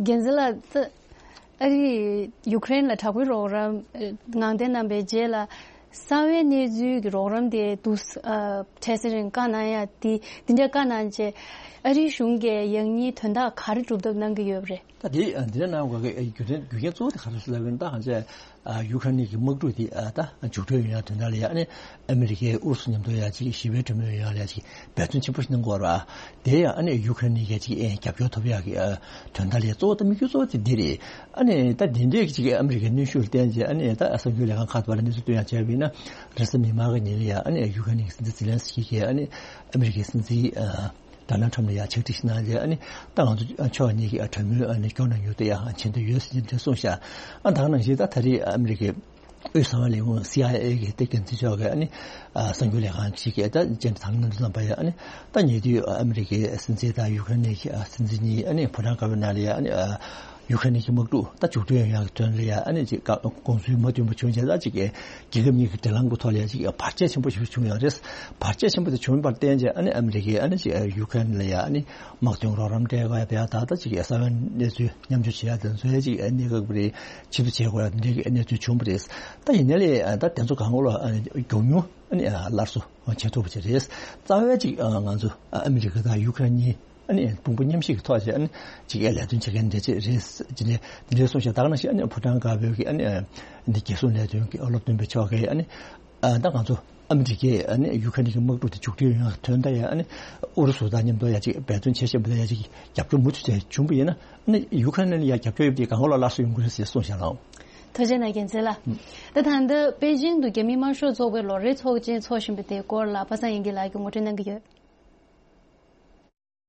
རྒྱལ་མཚན་ལགས། ཨ་རིས་ཡུ་ཀེ་རེན་ལ་དྲག་པོའི་རོགས་རམ་ངང་འདོན་གནང་པའི་རྗེས་ལ། གསང་བའི་གནས་ཚུལ་གྱི་རོགས་རམ་དེ་འདུག་ཨ་འཕྲལ་སེལ་རིང་བཀའ་གནང་ཡ་དེ་འདི་འདྲ་བཀའ་གནང་རྗེས། ཨ་རིའི་གཞུང་གིས་ཡང་སྙིང་དོན་དག་ག་རེ་སྒྲུབ་ཐབས་གནང་གི་ཡོད་པ་རེད། ད་དེ་འདི་འདྲ་གནང་དགོས་ཀྱི་རྒྱུ་མཚན་རྒྱུ་རྐྱེན་གཙོ་བོ་དེ་ག་རེ་ཟེར་ལབ་ན། ད་ང་ཚོས་ཡུ་ཁ་རེན་གྱི་དམག་འཁྲུག་དེ་ད་མཇུག་སྒྲིལ་ཡོང་ཡ་དོན་དག་ལ་ཡ་ཨ་ནི་ཨ་མི་རི་ཀས་ཨུ་རུ་སུ་མཉམ་དུ་ཡ་ཅིག་ཞི་བའི་གྲོས་མོལ་ཡོང་ཡ་ལ་ཡ་ཅིག་འབད་བརྩོན་ཆེན་པོ་ཞིག་གནང་དགོས་རེད་བ། དེ་ཡང་ཨ་ནི་ཡུ་ཁ་རེན་གྱིས་ཅིག་ཨེ་རྒྱབ་སྐྱོར་ཐོབ་ཡག་གི་ཨ་དོན་དག་ལས་གཙོ་བོ་དང་དམིགས་ཡུལ་གཙོ་བོ་དེ་འདི་རེད། ཨ་ནི་ད་དེ་འདྲའི་ཅིག་ཨ་མི་རི་ཀའི་གནོན་ཤུགས་ལ་བརྟེན་བྱས། ཨ་ནི་ད་གསར་འགྱུར་ལས་ཁང་ཁག་ཏུ་བར་གནས་ཚུལ་བཏོན་ཡག་བྱས་པ་ཡིན་ན། རེས་གཟའ་མིག་དམར་གྱི་ཉིན་ལ་ཡ་ཨ་ནི་ཡུ་ཁ་རེན་གྱི་སྲིད་འཛིན་ཛི་ལན་སི་ཀི་གིས་ཨ་ནི་ཨ་མི་རི་ཀའི་སྲིད་འཛིན་ཨ་ཌོ་ནལ་ཁྲམ་ལ་ཡ་ཕྱག་བྲིས་ཤིག་གནང་རྗེས། ཨ་ནི་ད་ང་ཚོ་ཕྱོགས་གཉིས་ཀྱིས་ཨ་གྲོས་མོལ་ཨ་ནི་སྐྱོང་གནང་རྒྱུ་དེ་ཡང་བྱེད་འདོད་ཡོད་ཟེར་གྱི་འདྲ་གསུངས་ཤག་ཨ་ད་ག་ནང་བཞིན་ད་ད་རེས་ཨ་མི་རི་ཀའི་དབུས་གསང་བའི་ལས་ཁུངས་སི་ཨའི་ཨེ་གི་ཏེ་འགན་འཛིན་མཆོག་གིས་ཨ་ནི་ཨ་གསར་འགྱུར་ལས་ཁང་ཞིག་གིས་ད་བཅར་འདྲི་དང་ལེན་གནང་པ་ཡ། ཨ་ནི་ད་ཉེ་དུས་ཨ་མི་རི་ཀའི་སྲིད་འཛིན་དང་ཡུ་ཁ་རེན་གྱི་ཨ་སྲིད་འཛིན་གཉིས་ཨ་ནི་ཕོ་བྲང་དཀར་པོའི་ནང་ལ་ཡ་ཨ་ནི་ཨ་ཡུ་ཁ་རེན་གྱི་དམག་འཁྲུག་ད་མཇུག་སྒྲིལ་ཡོང་ཡག་གི་དོན་ལ་ཡ་ཨ་ནི་ཅིག་དགོངས་ཚུལ་མ་མཐུན་པ་བྱུང་རྗེས། ད་ཅིག་རྒྱལ་ཁབ་གཉིས་ཀྱི་འབྲེལ་ལམ་གྱི་ཐོག་ལ་ཡ་ཅིག་བར་ཆད་ཆེན་པོ་ཞིག་བྱུང་ཡོད་རེད། བར་ཆད་ཆེན་པོ་དེ་བྱུང་བར་བརྟེན་བྱས། ཨ་ནི་ཨ་མི་རི་ཀས་ཨ་ནི་ཅིག་ཡུ་ཁ་རེན་ལ་ཡ་ཨ་ནི་དམག་དོན་རོགས་རམ་སྤྲད་དགོས་ཡ། ད་ད་ཅིག་གསང་བའི་གནས་ཚུལ་མཉམ་སྤྱོད་བྱེད་ཡ་དེ་ཚོ་ཡ་ཅིག་གནས་སྐབས་རེ་ཕྱིར་བསྡུ་བྱེད་དགོས་ཡ་དེ་འདྲའི་གནས་ཚུལ་བྱུང་བ་རེད། ད་ཡིན་ནའི་ལས་ད་དེ་ཚོ་གང་ག་ལ་ཨ་ནི་མགྱོགས་མྱུར་ཨ་ནི་སླར་གསོ་བྱེད་ཐུབ་པ་ཅིག་རེད། རྩ་བའི་ཅིག་ང་ཚོ་ཨ་མི་རི་ཀ་དང་ཡུ་ཁ་རེན་གཉིས་ཨ་ནི་དཔུང་པ་མཉམ་གཤིབ་ཀྱི་ཐོག་བྱས་ཨ་ནི་ཅིག་ལས་དོན་བྱེད་མཁན་འདྲ་ཅིག་རེད་ཅེས་ནས་འདི་འདྲའི་གསུངས་ཤག་ད་ག་ནང་བཞིན་ཨ་ནི་ཕོ་བྲང་དཀར་པོའི་གི་ཨ་ནི་འདི་རྒྱལ་སྲུང་ལས་དོན་གྱི་སློབ་སྟོན་པ་མཆོག་གིས་ཨ་ནི་ཨ་ད་ང་ཚོ་ཨ་མི་རི་ཀས་ཨ་ནི་ཡུ་ཁ་རེན་གྱི་དམག་འཁྲུག་དེ་མཇུག་སྒྲིལ་ཡོང་ཡག་དོན་དག་ཡ་ཨ་ནི་ཨུ་རུ་སུ་དང་མཉམ་དུ་ཡ་ཅིག་འབད་བརྩོན་བྱེད་བཞིན་པ་དང་ཡ་ཅིག་རྒྱབ་སྐྱོར་མུ་མཐུད་བྱས་བྱུང་བ་ཡིན་ན། ཨ་ནི་ཡུ་ཁ་རེན་ལ་ཡ་རྒྱབ་སྐྱོར་ཡོད་པ་དེ་གང་ག་ལ་སླར་གསོ་ཡོང་གི་རེད་ཟེར་གསུངས་ཤག་ལགས། ཐུགས་རྗེ་གནང་རྒྱལ་མཚན་ལགས། ད་ད་ལྟ་པེ་ཅིང་དུ་རྒྱ་མི་དམར་ཤོག་ཚོགས་པའི་ལོ་རེའི་ཚོགས་ཆེན་འཚོགས་བཞིན་པ་དེའི་སྐོར་ལ་པ་སངས་དབྱངས་སྐྱིད་ལགས་ཀྱིས་ངོ་སྤྲོད་གནང་གི་ཡོད།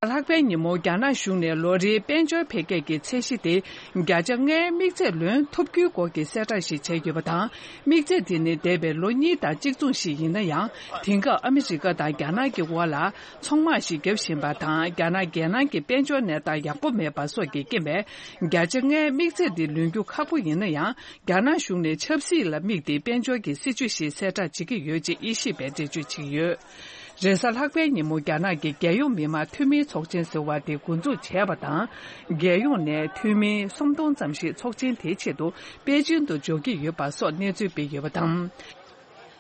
ལྷག་པའི་ཉིན་མོ་རྒྱ་ནག་གཞུང་ནས་ལོ་རེའི་དཔལ་འབྱོར་འཕེལ་རྒྱས་ཀྱི་ཚད་གཞི་དེ་བརྒྱ་ཆ་ལྔའི་དམིགས་ཚད་ལོན་ཐུབ་རྒྱུའི་སྐོར་གྱི་གསལ་བསྒྲགས་ཤིག་བྱས་ཡོད་པ་དང་། དམིགས་ཚད་དེ་ནི་འདས་པའི་ལོ་གཉིས་དང་གཅིག་མཚུངས་ཤིག་ཡིན་ན་ཡང་། དེང་སྐབས་ཨ་མི་རི་ཀ་དང་རྒྱ་ནག་གི་དབར་ལ་ཚོང་དམག་ཞིག་བརྒྱབ་བཞིན་པ་དང་། རྒྱ་ནག་རྒྱལ་ནང་གི་དཔལ་འབྱོར་གནས་སྟངས་ཡག་པོ་མེད་པ་སོགས་ཀྱི་རྐྱེན་པས། བརྒྱ་ཆ་ལྔའི་དམིགས་ཚད་དེ་ལོན་རྒྱུ་ཁག་པོ་ཡིན་ན་ཡང་། རྒྱ་ནག་གཞུང་ནས་ཆབ་སྲིད་ལ་དམིགས་ཏེ་དཔལ་འབྱོར་གྱི་སྲིད་ཇུས་ཤིག་གསལ་བསྒྲགས་བྱེད་ཀྱི་ཡོད་ཅེས་དབྱེ་ཞིབ་པས་འགྲེལ་བརྗོད་བྱེད་ཀྱི་ཡོད། རེས་གཟའ་ལྷག་པའི་ཉིན་མོ་རྒྱ་ནག་གི་རྒྱལ་ཡོངས་མི་དམངས་འཐུས་མིའི་ཚོགས་ཆེན་ཟེར་བ་དེ་འགོ་འཛུགས་བྱས་པ་དང་། རྒྱལ་ཡོངས་ནས་འཐུས་མི་སུམ་སྟོང་ཙམ་ཞིག་ཚོགས་ཆེན་དེའི་ཆེད་དུ་པེ་ཅིང་དུ་འབྱོར་གྱི་ཡོད་པ་སོགས་གནས་ཚུལ་སྤེལ་ཡོད་པ་དང་།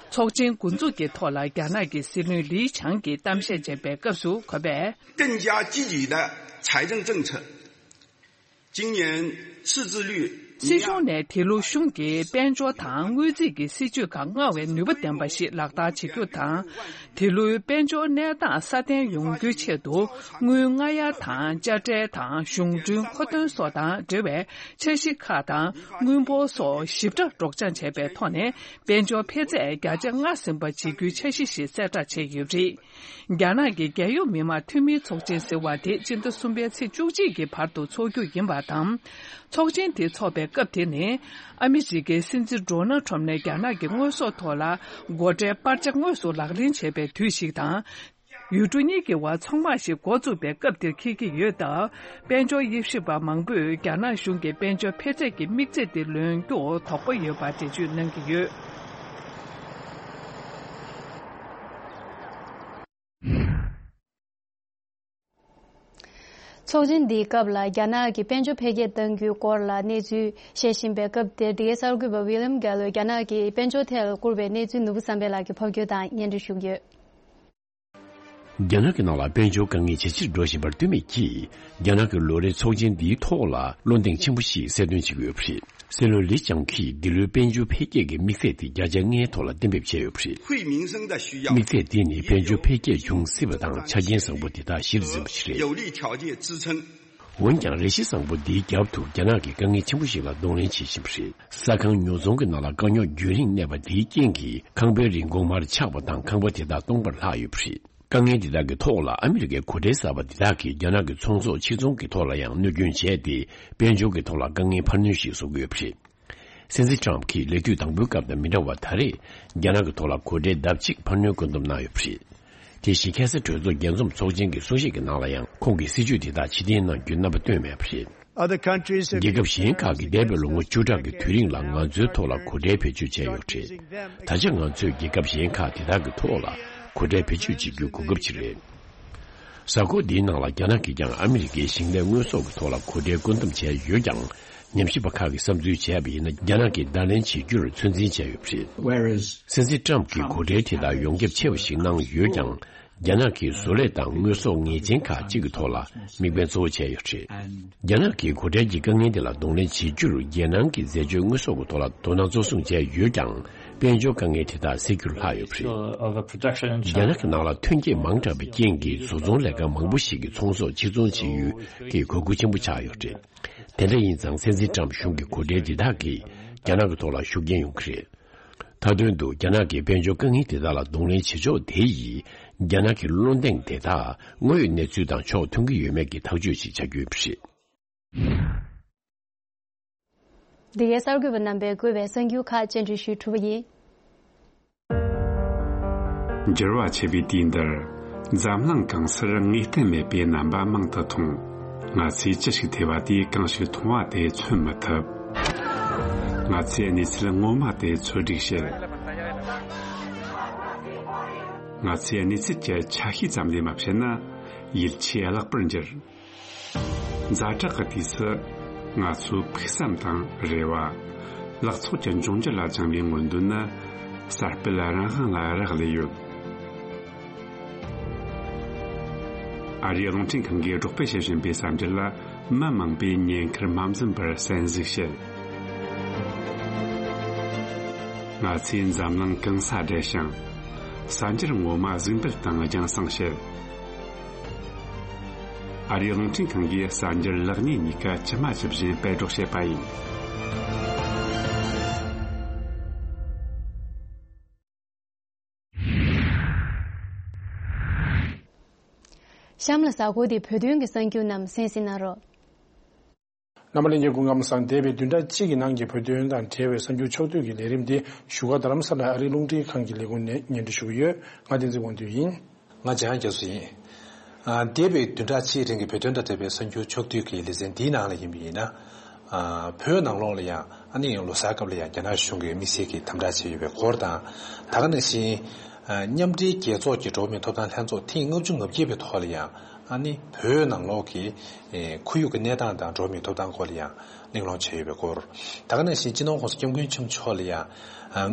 ཚོགས་ཆེན་འགོ་འཛུགས་ཀྱི་ཐོག་ལ་རྒྱ་ནག་གི་སྲིད་བློན་ལི་ཆང་གིས་གཏམ་བཤད་བྱས་པའི་སྐབས་སུ། ཁོ་པས། 更加积极的财政政策，今年赤字率 སྲིད་གཞུང་ནས་དེ་ལོའི་གཞུང་གི་དཔལ་འབྱོར་དང་དངུལ་རྩིས་ཀྱི་སྲིད་ཇུས་ཁག་སྔར་བས་ནུས་པ་ལྡན་པ་ཞིག་ལག་བསྟར་བྱེད་རྒྱུ་དང་། དེ་ལོའི་དཔལ་འབྱོར་གནས་སྟངས་སྲ་བརྟན་ཡོང་རྒྱུའི་ཆེད་དུ་དངུལ་སྔ་གཡར་དང་དཔྱ་ཁྲལ་དང་གཞུང་གྲོན་མཁོ་འདོན་སོགས་དང་འབྲེལ་བའི་འཆར་གཞི་ཁག་དང་དངུལ་འབོར་སོགས་ཞིབ་ཕྲ་སྒྲོག་སྦྱང་བྱས་པའི་ཐོག་ནས་དཔལ་འབྱོར་འཕེལ་ཚད་བརྒྱ་ཆ་ལྔ་ཟིན་པ་བྱེད་རྒྱུའི་འཆར་གཞི་ཞིག་གསལ་བསྒྲགས་བྱས་ཡོད་པ་རེད། རྒྱ་ནག་གི་རྒྱལ་ཡོངས་མི་དམངས་འཐུས་མིའི་ཚོགས་ཆེན་ཟེར་བ་དེ་སྤྱི་ཟླ་གསུམ་པའི་ཚེས་བཅུ་གཅིག་གི་བར་དུ་འཚོགས་རྒྱུ་ཡིན་པ་དང་། ཚོགས་ཆེན་དེ་འཚོགས་པའི་སྐབས་དེ་ནི། ཨ་མི་རི་ཀའི་སྲིད་འཛིན་ཌོ་ནལ་ཁྲོམ་ནས་རྒྱ་ནག་གི་དངོས་ཟོག་ཐོག་ལ་སྒོ་ཁྲལ་སྤར་ཆ་དངོས་སུ་ལག་ལེན་བྱས་པའི་དུས་ཤིག་དང་། ཡུལ་གྲུ་གཉིས་ཀྱི་བར་ཚོང་དམག་ཞིག་འགོ་བཙུགས་པའི་སྐབས་དེར་འཁེལ་གྱི་ཡོད་སྟབས། དཔལ་འབྱོར་དབྱེ་ཞིབ་པ་མང་པོས་རྒྱ་ནག་གཞུང་གིས་དཔལ་འབྱོར་འཕེལ་ཚད་ཀྱི་དམིགས་ཚད་དེ་ལོན་རྒྱུར་དོགས་པ་ཡོད་པ་འགྲེལ་བརྗོད་གནང་གི་ཡོད། ཚོགས་ཆེན་འདིའི་སྐབས་ལ་རྒྱ་ནག་གི་དཔལ་འབྱོར་འཕེལ་རྒྱས་གཏང་རྒྱུའི་སྐོར་ལ་གནས་ཚུལ་བཤད་བཞིན་པའི་སྐབས་དེར། འདི་གའི་གསར་འགོད་པ་ཝི་ལིམ་གྷེལ་ལོས་རྒྱ་ནག་གི་དཔལ་འབྱོར་ཐད་ལ་བསྐུར་བའི་གནས་ཚུལ་ནོར་བུ་བསམ་འཕེལ་ལགས་ཀྱིས་ཕབ་སྒྱུར་དང་སྙན་སྒྲོན་ཞུ་གི་ཡོད། རྒྱ་ནག་གི་ནང་ལ་དཔལ་འབྱོར་དཀའ་ངལ་ཇེ་ཆེར་འགྲོ་བཞིན་པར་ལྟོས་མེད་ཀྱིས། རྒྱ་ནག་གི་ལོ་རེའི་ཚོགས་ཆེན་འདིའི་ཐོག་ལ་བློ་གདེང་ཆེན་པོ་ཞིག་གསལ་སྟོན་བྱེད་ཀྱི་ཡོད་པ་རེད། སྲིད་བློན་ལི་ཅང་གིས་འདི་ལོའི་དཔལ་འབྱོར་འཕེལ་རྒྱས་ཀྱི་དམིགས་ཚད་དེ་བརྒྱ་ཆ་ལྔའི་ཐོག་ལ་གཏན་འབེབས་བྱས་ཡོད་པ་རེད། དམིགས་ཚད་དེ་ནི་དཔལ་འབྱོར་འཕེལ་རྒྱས་འབྱུང་སྲིད་པ་དང་ཆ་རྐྱེན་བཟང་པོ་དེ་དག་གཞིར་འཛིན་པ་ཞིག་རེད། འོན་ཀྱང་། རེ་ཞིག་བཟང་པོ་འདིའི་རྒྱབ་ཏུ་རྒྱ་ནག་གི་དཀའ་ངལ་ཆེན་པོ་ཞིག་ལ་གདོང་ལེན་བྱེད་བཞིན་པ་རེད། ས་ཁང་ཉོ་ཚོང་གི་ནང་ལ་དཀའ་རྙོག་རྒྱུན་རིང་གནས་པ་དེའི་རྐྱེན་གྱིས། ཁང་པའི་རིན་གོང་མར་ཆག་པ་དང་། ཁང་པ་དེ་དག་སྟོང་པར་ལྷག་ཡོད་པ་རེད། དཀའ་ངལ་འདི་དག་གི་ཐོག་ལ་ཨ་མི་རི་ཀའི་གོ་ཁྲལ་གསར་པ་འདི་དག་གིས་རྒྱ་ནག་གི་ཚོང་ཟོག་ཕྱིར་ཚོང་གི་ཐོག་ལ་ཡང་གནོད་སྐྱོན་བྱས་ཏེ། དཔལ་འབྱོར་གྱི་ཐོག་ལ་དཀའ་ངལ་འཕར་སྣོན་ཞིག་བཟོ་གི་ཡོད་པ་རེད། སྲིད་འཛིན་ཊམ་གྱིས་ལས་དུས་དང་པོའི་སྐབས་དང་མི་འདྲ་བར། ད་རེས་རྒྱ་ནག་གི་ཐོག་ལ་གོ་ཁྲལ་ལྡབ་གཅིག་འཕར་སྣོན་བཀོད་འདོམས་གནང་ཡོད་པ་རེད། དེ་བཞིན་ཁ་སང་གྲོས་ཚོགས་རྒྱས་འཛོམས་ཚོགས་ཆེན་གྱི་གསུང་བཤད་ཀྱི་ནང་ལ་ཡང་ཁོང་གིས་སྲིད་ཇུས་དེ་དག་ཕྱིར་འཐེན་གནང་རྒྱུའི་རྣམ་པ་བཏོན་མེད་པ་རེད། Other countries have རྒྱལ་ཁབ་གཞན་ཁག་གིས་འདས་པའི་ལོ་ངོ་བཅུ་ཕྲག་གི་དུས་རིང་ལ་ང་ཚོའི་ཐོག་ལ་གོ་ཁྲལ་བེད་སྤྱོད་བྱས་ཡོད་རེད། ད་ཆ་ང་ཚོས་རྒྱལ་ཁབ་གཞན་ཁག་དེ་དག་གི་ཐོག་ལ་གོ་ཁྲལ་བེད་སྤྱོད་བྱེད་རྒྱུའི་གོ་སྐབས་ཅིག་རེད། གཟའ་འཁོར་འདིའི་ནང་ལ་རྒྱ་ནག་གིས་ཀྱང་ཨ་མི་རི་ཀའི་ཞིང་ལས་དངོས་ཟོག་གི་ཐོག་ལ་གོ་ཁྲལ་བཀོད་འདོམས་བྱས་ཡོད་ཀྱང་། ཉམས་ཞིབ་པ་ཁག་གིས་བསམ་ཚུལ་བྱས་པ་ཡིན་ན། རྒྱ་ནག་གིས་བརྡ་ལན་བྱེད་རྒྱུར་ཚོད་འཛིན་བྱས་ཡོད་པ་རེད། Whereas སྲིད་འཛིན་ཊམ་གྱིས་གོ་ཁྲལ་དེ་དག་ཡོངས་ཁྱབ་ཆེ་བ་ཞིག་གནང་ཡོད་ཀྱང་། རྒྱ་ནག་གིས་བཟོ་ལས་དང་དངོས་ཟོག་ངེས་ཅན་ཁག་ཅིག་གི་ཐོག་ལ་དམིགས་འབེན་གཙོ་བོ་བྱས་ཡོད་པ་རེད། རྒྱ་ནག་གིས་གོ་ཁྲལ་གྱི་དཀའ་ངལ་དེ་ལ་གདོང་ལེན་བྱེད་རྒྱུར། རྒྱལ་ནང་གི་འཛད་སྤྱོད་དངོས་ཟོག་གི་ཐོག་ལ་དོ་སྣང་གཙོ་བཟུང་བྱས་ཡོད་ཀྱང་། དཔལ་འབྱོར་དཀའ་ངལ་དེ་དག་སེལ་རྒྱུར་ལྷག་ཡོད་པ་རེད། Overproduction in རྒྱ་China. ནག་གི་ནང་ལ་ཐོན་སྐྱེད་མང་དྲགས་པའི་རྐྱེན་གྱིས། བཟོ་ཚོང་ལས་ཁང་མང་པོ་ཞིག་གི་ཚོང་ཟོག་ཕྱིར་ཚོང་བྱེད་ཡུལ་དེ་གོ་རྒྱུ་ཆེན་པོ་ཆགས་ཡོད་རེད། དེ་འདྲ་ཡིན་ཙང་། སྲིད་འཛིན་ཊམ་གཞུང་གི་གོ་ཁྲལ་འདི་དག་གིས་རྒྱ་ནག་གི་ཐོག་ལ་ཤུགས་རྐྱེན་ཡོང་གི་རེད། མཐའ་དོན་དུ་རྒྱ་ནག་གི་དཔལ་འབྱོར་དཀའ་ངལ་དེ་དག་ལ་གདོང་ལེན་བྱེད་ཕྱོགས་དེ་ཡིས། རྒྱ་ནག་གི་བློ་གདེང་དེ་དག་དངོས་ཡོད་གནས་ཚུལ་དང་ཕྱོགས་མཐུན་གྱི་ཡོད་མེད་ཀྱི་ཐག་གཅོད་ཅིག་བྱ་རྒྱུ་ཡིན་པ་རེད། འདི་གའི་གསར་འགོད་པ་རྣམ་པས་བཀོད་པའི་གསར་འགྱུར་ཁག་སྤྱན་འདྲེན་ཞུས་གྲུབ་པ་ཡིན། འགྱུར་བ་ཆེ་བའི་དུས་འདིར། འཛམ་གླིང་གང་སར་ངེས་གཏན་མེད་པའི་རྣམ་པ་མང་དུ་མཐོང་། ང་ཚོས་ཅི་ཞིག་ཐོས་པ་དེས་གང་ཞིག་མཐོང་བ་དེ་མཚོན་མི་ཐུབ། ང་ཚོས་གནས་ཚུལ་ངོ་མ་དེ་འཚོལ་སྒྲིག་བྱེད། ང་ཚོས་གནས་ཚུལ་གྱི་ཆ་ཤས་ཙམ་ལས་མ་བཤད་ན། ཡིད་ཆེས་བརླག་པར་འགྱུར། ཛ་དྲག་གི་དུས་སུ། ང་ཚོའི་ཕུགས་བསམ་དང་རེ་བ། ལག་ཚོགས་ཀྱི་འབྱུང་འགྱུར་ལ་བཅངས་པའི་མངོན་འདོད་ནི། གསར་སྤེལ་རང་དབང་ལ་རག་ལས་ཡོད། ཨ་རིའི་རླུང་འཕྲིན་ཁང་གིས་སྒྲོག་སྤེལ་བྱེད་བཞིན་པའི་གསར་འགྱུར་ལ། མི་མང་པོས་ཉེན་ཁར་མ་འཛེམས་པར་གསན་གཟིགས་བྱེད། ང་ཚོས་འཛམ་གླིང་གང་སར་བསྡད་ཤིང་། གསར་འགྱུར་ངོ་མ་གཟིགས་འབུལ་དང་རྒྱང་སྲིང་བྱེད། ཨ་རིའི་རླུང་འཕྲིན་ཁང་གིས་གསར་འགྱུར་ལེགས་ཉེས་གཉིས་ཀ་ཇི་མ་ཇི་བཞིན་སྤེལ་སྒྲོག་བྱས་པ་ཡིན། གཤམ་ལ་གཟའ་འཁོར་དེའི་བོད་དོན་གྱི་གསར་འགྱུར་རྣམས་གསན་གཟིགས་གནང་རོགས། རྣམ་པ་ལྷན་རྒྱས་སྐུ་ཁམས་བཟང་། འདས་པའི་བདུན་ཕྲག་གཅིག་གི་ནང་གི་བོད་དོན་དང་འབྲེལ་བའི་གསར་འགྱུར་ཕྱོགས་བསྡུས་ཀྱི་ལས་རིམ་འདི་བཞུགས་སྒར་རྡ་རམ་ས་ལ་ཨ་རིའི་རླུང་འཕྲིན་ཁང་གི་ལས་ཁུངས་ནས་སྙན་སྒྲོན་ཞུ་གི་ཡོད། ང་བསྟན་འཛིན་དབང་འདུས་ཡིན། ང་འཇམ་དབྱངས་རྒྱ་མཚོ་ཡིན། ཨ། འདས་པའི་བདུན་ཕྲག་གཅིག་རིང་གི་བོད་དོན་དང་འབྲེལ་བའི་གསར་འགྱུར་ཕྱོགས་བསྡུས་ཀྱི་ལེ་ཚན་འདིའི་ནང་ལ་ཡིན་པ་ཡིན་ན། ཨ། བོད་ནང་ལོགས་ལ་ཡང་ཨ་ནི་ལོ་གསར་སྐབས་ལ་ཡང་རྒྱ་ནག་གཞུང་གིས་དམིགས་བསལ་གྱི་དམ་དྲག་བྱས་ཡོད་པའི་སྐོར་དང་། ད་ག་ནང་བཞིན། ཨ། མཉམ་འབྲེལ་རྒྱལ་ཚོགས་ཀྱི་འགྲོ་བ་མིའི་ཐོབ་ཐང་ལྷན་ཚོགས་ཐེངས་ལྔ་བཅུ་ང་བརྒྱད་པའི་ཐོག་ལ་ཡང་ཨ་ནི་བོད་ནང་ལོགས་ཀྱི་ཁོར་ཡུག་གི་གནས་སྟངས་དང་འགྲོ་བ་མིའི་ཐོབ་ཐང་སྐོར་ལ་ཡང་གླེང་སློང་བྱས་ཡོད་པའི་སྐོར། ད་ག་ནང་བཞིན་སྤྱི་ནོར་༸གོང་ས་༸སྐྱབས་མགོན་ཆེན་པོ་མཆོག་ལ་ཡང་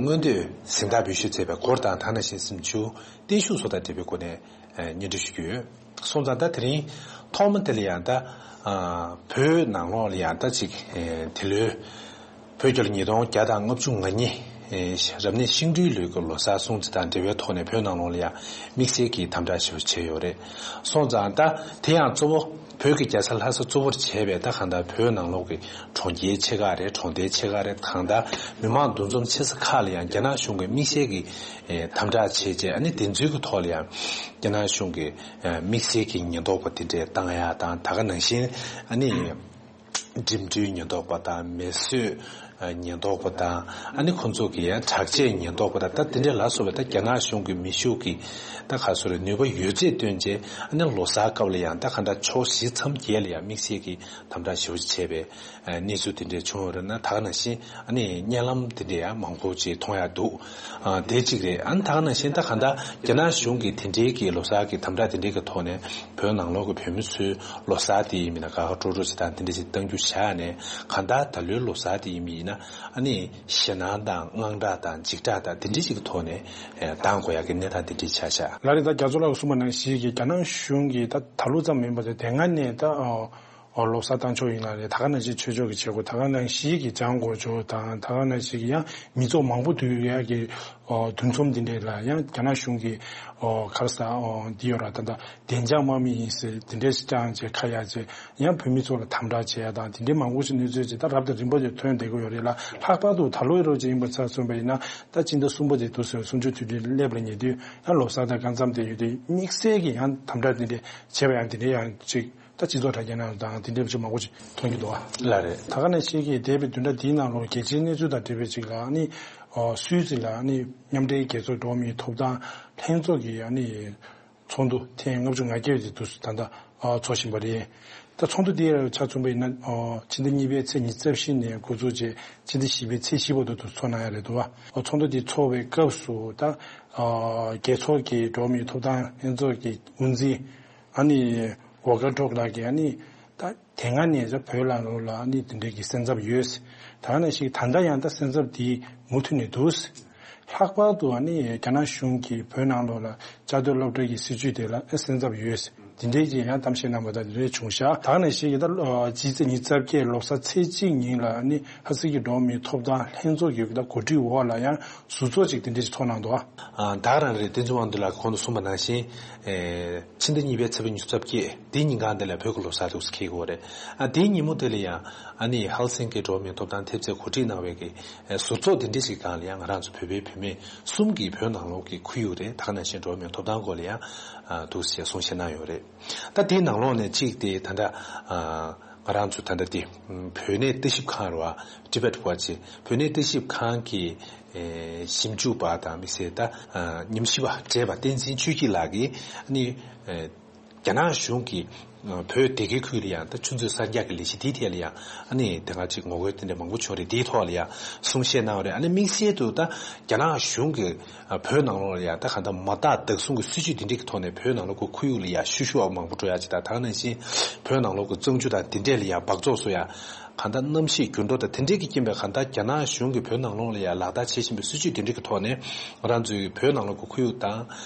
མངོན་འདོད་གཟེངས་རྟགས་འབུལ་ཞུས་མཛད་པའི་སྐོར་དང་། ད་ག་ནང་བཞིན་གཟིམ་ཆུང་བརྟན་བཞུགས་སོགས་དང་འབྲེལ་བའི་སྒོ་ནས་སྙན་སྒྲོན་ཞུ་རྒྱུ་ཡོད། སོང་ཙང་ད་དེ་རིང་ཐོག་མ་དེ་ལ་ཡང་ད་བོད་ནང་ལོགས་ལ་ཡང་ད་ཅིག་འདི་ལོའི་ བོད་རྒྱལ་ཉིས་སྟོང་བརྒྱ་དང་ལྔ་བཅུ་ང་གཉིས་རབ་གནས་ཤིང་སྦྲུལ་ལོའི་གི་ལོ་གསར་སྲུང་བརྩི་དང་འབྲེལ་བའི་ཐོག་ནས་བོད་ནང་ལོགས་ལ་ཡང་དམིགས་བསལ་གྱི་དམ་དྲག་ཞེ་པོ་བྱས་ཡོད་རེད། སོང་ཙང་ད་དེ་ཡང་གཙོ་བོ་བོད་ཀྱི་རྒྱལ་ས་ལྷ་ས་གཙོ་བོར་བྱས་པའི་ད་གང་ལྟར་བོད་ནང་ལོགས་ཀྱི་གྲོང་ཁྱེར་ཆེ་ཁག་རེད། གྲོང་རྡལ་ཆེ་ཁག་རེད། གང་ལྟར་མི་མང་འདུ་འཛོམས་ཆེ་ས་ཁག་ལ་ཡང་རྒྱ་ནག་གཞུང་གིས་དམིགས་བསལ་གྱི་དམ་དྲག་བྱས་རྗེས། ཨ་ནི་དེ་ཚོའི་གི་ཐོག་ལ་ཡང་རྒྱ་ནག་གཞུང་གིས་དམིགས་བསལ་གྱི་ཉེན་རྟོག་པ་དེ་འདྲས་བཏང་ཡ་དང་། ད་ག་ནང་བཞིན་ཨ་ནི། འགྲིམ་འགྲུལ་ཉེན་རྟོག་པ་དང་། མེ་གསོད་ཉེན་རྟོག་པ་དང་། ཨ་ནི་ཁོང་ཚོ་གི་ཡང་དྲག་ཆས་ཉེན་རྟོག་པ་དང་། ད་དེ་འདྲ་ལ་སོགས་པའི་ད་རྒྱ་ནག་གཞུང་གི་མེ་ཤུགས་ཀྱི་ད་ག་སོ་རེ་ནུས་པ་ཡོད་ཚད་བཏོན་རྗེས། ཨ་ནི་ལོ་གསར་སྐབས་ལ་ཡང་ད་གང་འདྲ་ཕྱོགས་བཞི་མཚམས་བརྒྱད་ལ་ཡང་དམིགས་བསལ་གྱི་དམ་དྲག་ཞེ་པོ་ཅིག་བྱས་པའི་གནས་ཚུལ་དེ་འདྲ་བྱུང་ཡོད་རེད། ན་ད་ག་ནང་བཞིན་ཨ་ནི་བརྙན་ལམ་དེ་འདྲ་ཡང་མང་པོ་ཅིག་མཐོང་ཡ་འདུག་ཨ་དེ་གཅིག་རེད། ཨ་ནི་ད་ག་ནང་བཞིན་ད་གང་ལྟར་རྒྱ་ནག་གཞུང་གིས་དེ་འདྲའི་གི་ལོ་གསར་གི་དམ་དྲག་དེ་འདྲའི་གི་ཐོག་ནས་བོད་ནང་ལོགས་གི་བོད་མི་ཚོའི་ལོ་གསར་དེ་ཡིན་མིན་ན་དགའ་དགའ་སྤྲོ་སྤྲོ་ཞིག་དང་དེ་འདྲ་ཞིག་གཏང་རྒྱུ་བྱས་ནས། གང་ལྟར་ད་ལོའི་ལོ་གསར་དེ་ཡིན་མིན་ཡིན་ན། ཨ་ནི་ཞེད་སྣང་དང་དངངས་སྐྲག་དང་འཇིགས་སྐྲག་དང་དེ་འདྲ་ཞིག་གི་ཐོག་ནས་གཏང་དགོས་ཡ་གི་གནས་སྟངས་དེ་འདྲ་ཆགས་ཤག་ལགས་རེད། ད་རྒྱ་མཚོ་ལགས་གསུངས་པ་ནང་བཞིན་གྱི་རྒྱ་ནག་གཞུང་གིས་ད་ད་ལོ་ཙམ་མིན་པ་དེ་དེ་སྔ་ནས་ད། ཨོ་ལོ་གསར་བཏང་ཆོག་ཡིན་ལ་རེད། ད་ག་ནང་བཞིན་ཆོས་ཕྱོགས་ཀྱི་བྱེད་སྒོ། ད་ག་ནང་བཞིན་གྱི་ལྗང་གོ་ཆོག་དང་། ད་ག་ནང་བཞིན་གྱི་ཡང་མི་ཚོགས་མང་པོ་འདུས་ཡག་གི་འདུ་འཛོམས་འདི་འདྲས་ལ་ཡང་རྒྱ་ནག་གཞུང་གི་ག་རེ་ཟེར་འདི་ཡོད་ར། ད་ད་བདེ་འཇགས་དམག་མི་ཡིན་ཟེར་འདི་འདྲས་བཏང་བྱས་ཁ་ཡ་བྱས། ཡང་བོད་མི་ཚོ་ལ་དམ་དྲག་བྱས་ཡ་དང་འདི་འདྲས་མང་པོ་ཞིག་གནས་ཚུལ་ཅིག་ད་རབ་དང་རིམ་པ་ཅིག་ཐོན་བསྡད་ཀྱི་ཡོད་རེད་ལ། ལྷག་པར་དུ་ད་ལོའི་རོགས་ཅིག་ཡིན་པ་ཆ་མཚོན་པ་ཡིན་ན། ད་སྤྱི་ཟླ་གསུམ་པ་དེ་དུས་ཚོད་གསུམ་བཅུའི་དུས་དྲན་སླེབས་ལ་ཉེ་དུས། ཡང་ལོ་གསར་དང་སྐབས་མཚམས་དེ་ཡོད་དུས་དམིགས་བསལ་གྱི་ཡང་དམ་དྲག་འདི་འདྲས་བྱས་པ་ཡང་འདི་འདྲས་ཡང་ཅིག་ད་སྤྱི་ཚོགས་དྲ་རྒྱ་ནང་དང་དེ་འདྲའི་ཅིག་མང་པོ་ཅིག་མཐོང་རྒྱུ་འདུག་ཨ། ལགས་རེད། ད་ག་ནང་བཞིན་གྱི་འདས་པའི་བདུན་ཕྲག་འདིའི་ནང་ལོགས་རྒྱལ་སྤྱིའི་གནས་ཚུལ་དང་འབྲེལ་བའི་ཅིག་ལ་ཨ་ནི། སུད་སི་ལ་ཨ་ནི་མཉམ་འབྲེལ་རྒྱལ་ཚོགས་འགྲོ་བ་མིའི་ཐོབ་ཐང་ལྷན་ཚོགས་ཀྱི་ཨ་ནི་ཚོགས་འདུ་ཐེངས་ལྔ་བཅུ་ང་བརྒྱད་དེ་དུས་སུ་ད་ལྟ་འཚོགས་བཞིན་པ་རེད། ད་ཚོགས་འདུ་འདི་ཆ་མཚོན་པ་ཡིན་ན་ཕྱི་ཟླ་གཉིས་པའི་ཚེས་ཉི་ཤུ་རྩ་བཞི་ནས་འགོ་འཛུགས་བྱས་ཕྱི་ཟླ་བཞི་པའི་ཚེས་བཞི་བར་དུ་འཚོགས་གནང་ཡ་རེད་འདུག་བ། ཚོགས་འདུ་འདི་འཚོགས་པའི་སྐབས་སུ་ད་རྒྱལ་ཚོགས་ཀྱི་འགྲོ་བ་མིའི་ཐོབ་ཐང་ལྷན་ཚོགས་ཀྱི་དབུ་འཛིན། ཨ་ནི་ཝོལ་ཀར་ཊུརྐ་ལགས་ཀྱིས་ཨ་ནི་ད་དེ་སྔ་ནས་ད་བོད་ནང་ལོགས་ལ་ཨ་ནི་དེ་འདྲའི་གི་སེམས་འཚབ་ཡོད། ད་ག་ནང་བཞིན་ད་ལྟ་ཡང་ད་སེམས་འཚབ་དེ་མུ་མཐུད་ནས་འདུག། ལྷག་པར་དུ་ཨ་ནི་རྒྱ་ནག་གཞུང་གིས་བོད་ནང་ལོགས་ལ་བཅའ་སྡོད་སློབ་གྲྭ་གི་སྲིད་བྱུས་དེ་ལ་ཨེ་སེམས་འཚབ་ཡོད། དེ་འདྲའི་གི་ཡང་གཏམ་བཤད་གནང་བ་དང་དེ་འདྲའི་བྱུང་ཤག། ད་ག་ནང་བཞིན་གྱི་ད་སྤྱི་ཚེས་ཉི་ཤུ་རྩ་བརྒྱད་ལོ་གསར་ཚེས་གཅིག་ཉིན་ལ་ཨ་ནི་ལྷ་ས་གི་འགྲོ་བ་མིའི་ཐོབ་ཐང་ལྷན་ཚོགས་ཀྱི་ད་གོ་སྒྲིག་འོག་ལ་ཡང་ཟུར་ཚོགས་ཅིག་དེ་འདྲའི་ཅིག་ཚོགས་གནང་འདུག། ཨ། ད་ག་རང་རེད། བསྟན་འཛིན་དབང་འདུས་ལགས་ཀྱིས་གོང་དུ་གསུངས་པ་ནང་བཞིན། ཨེ། ཕྱི་ཟླ་གཉིས་པའི་ཚེས་པ་ཉི་ཤུ་རྩ་བརྒྱད་འདིའི་ཉིན་གང་དེ་ལ་བོད་ཀྱི་ལོ་གསར་འདུག་སེ་འཁེལ་གྱི་ཡོད་རེད། ཨ། དེའི་ཉིན་མོ་དེ་ལ་ཡང་ཨ་ནི་ཧེལ་སིང་ཀི་འགྲོ་བ་མིའི་ཐོབ་ཐང་ཐེབས་རྩས་གོ་སྒྲིག་གནང་བའི་གི་ཨེ་ཟུར་ཚོགས་དེ་འདྲ་ཞིག་སྒང་ལ་ཡང་ང་རང་ཚོ་བོད་པའི་བུད་མེད་གསུམ་གྱིས་བོད་ནང་ལོགས་ཀྱི་ཁོར་ཡུག་རེད། ད་ག་ནང་བཞིན་འགྲོ་བ་མིའི་ཐོབ་ཐང་སྐོར་ལ་ཡང་ཨ་འདུག་སེ་གསུང་བཤད་གནང་ཡོད་རེད། ད་དེའི་ནང་ལོགས་ནས་གཅིག་དེ་ད་ལྟ་ཨ་ང་རང་ཚོ་ད་ལྟ་དེ་བོད་གནས་ལྟ་ཞིབ་ཁང་རེད་བ། Tibet Watch། བོད་གནས་ལྟ་ཞིབ་ཁང་གི་ཨེ་ཞིབ་འཇུག་པ་དང་དམིགས་བསལ་ད་ཨ་ཉམས་ཞིབ་པ་བགྲེས་པ་བསྟན་འཛིན་ཆོས་སྐྱིད་ལགས་ཀྱིས་ཨ་ནི་ཨེ་རྒྱ་ནག་གཞུང་གིས་ཨ་བོད་སྡེ་དགེ་ཁུལ་ལ་ཡང་ད་ཆུ་མཛོད་གསར་རྒྱག་གི་ལས་གཞི་དེའི་ཐད་ལ་ཡང་ཨ་ནི་དེ་སྔ་ཅིག་ངོ་རྒོལ་དེ་འདྲ་མང་པོ་བྱུང་རེད། དེའི་ཐོག་ལ་ཡང་གསུང་བཤད་གནང་བ་རེད། ཨ་ནི་དམིགས་བསལ་དུ་ད་རྒྱ་ནག་གཞུང་གིས་ཨ་བོད་ནང་ལོགས་ལ་ཡང་ད་གང་ལྟར་མ་བརྟག་བདག་བཟུང་གི་སྲིད་བྱུས་དེ་འདྲ་གི་ཐོག་ནས་བོད་ནང་ལོགས་ཀྱི་ཁོར་ཡུག་ལ་ཡང་བཤུ་གཞོག་མང་པོ་འགྲོ་ཡ་ཅིག་དང་། ད་ག་ནང་བཞིན་བོད་ནང་ལོགས་ཀྱི་གཙང་ཆུ་དང་དེ་འདྲས་ལ་ཡང་སྦགས་བཙོག་བཟོ་ཡ། གང་ལྟར་གནམ་གཤིས་འགྱུར་ལྡོག་དང་དེ་འདྲས་ཀྱི་རྐྱེན་པས་གང་ལྟར་རྒྱ་ནག་གཞུང་གིས་བོད་ནང་ལོགས་ལ་ཡང་ལག་བསྟར་བྱེད་བཞིན་པའི་སྲིད་བྱུས་དེ་འདྲས་ཀྱི་ཐོག་ནས་ང་རང་ཚོའི་བོད་ནང་ལོགས་ཀྱི་ཁོར་ཡུག་དང་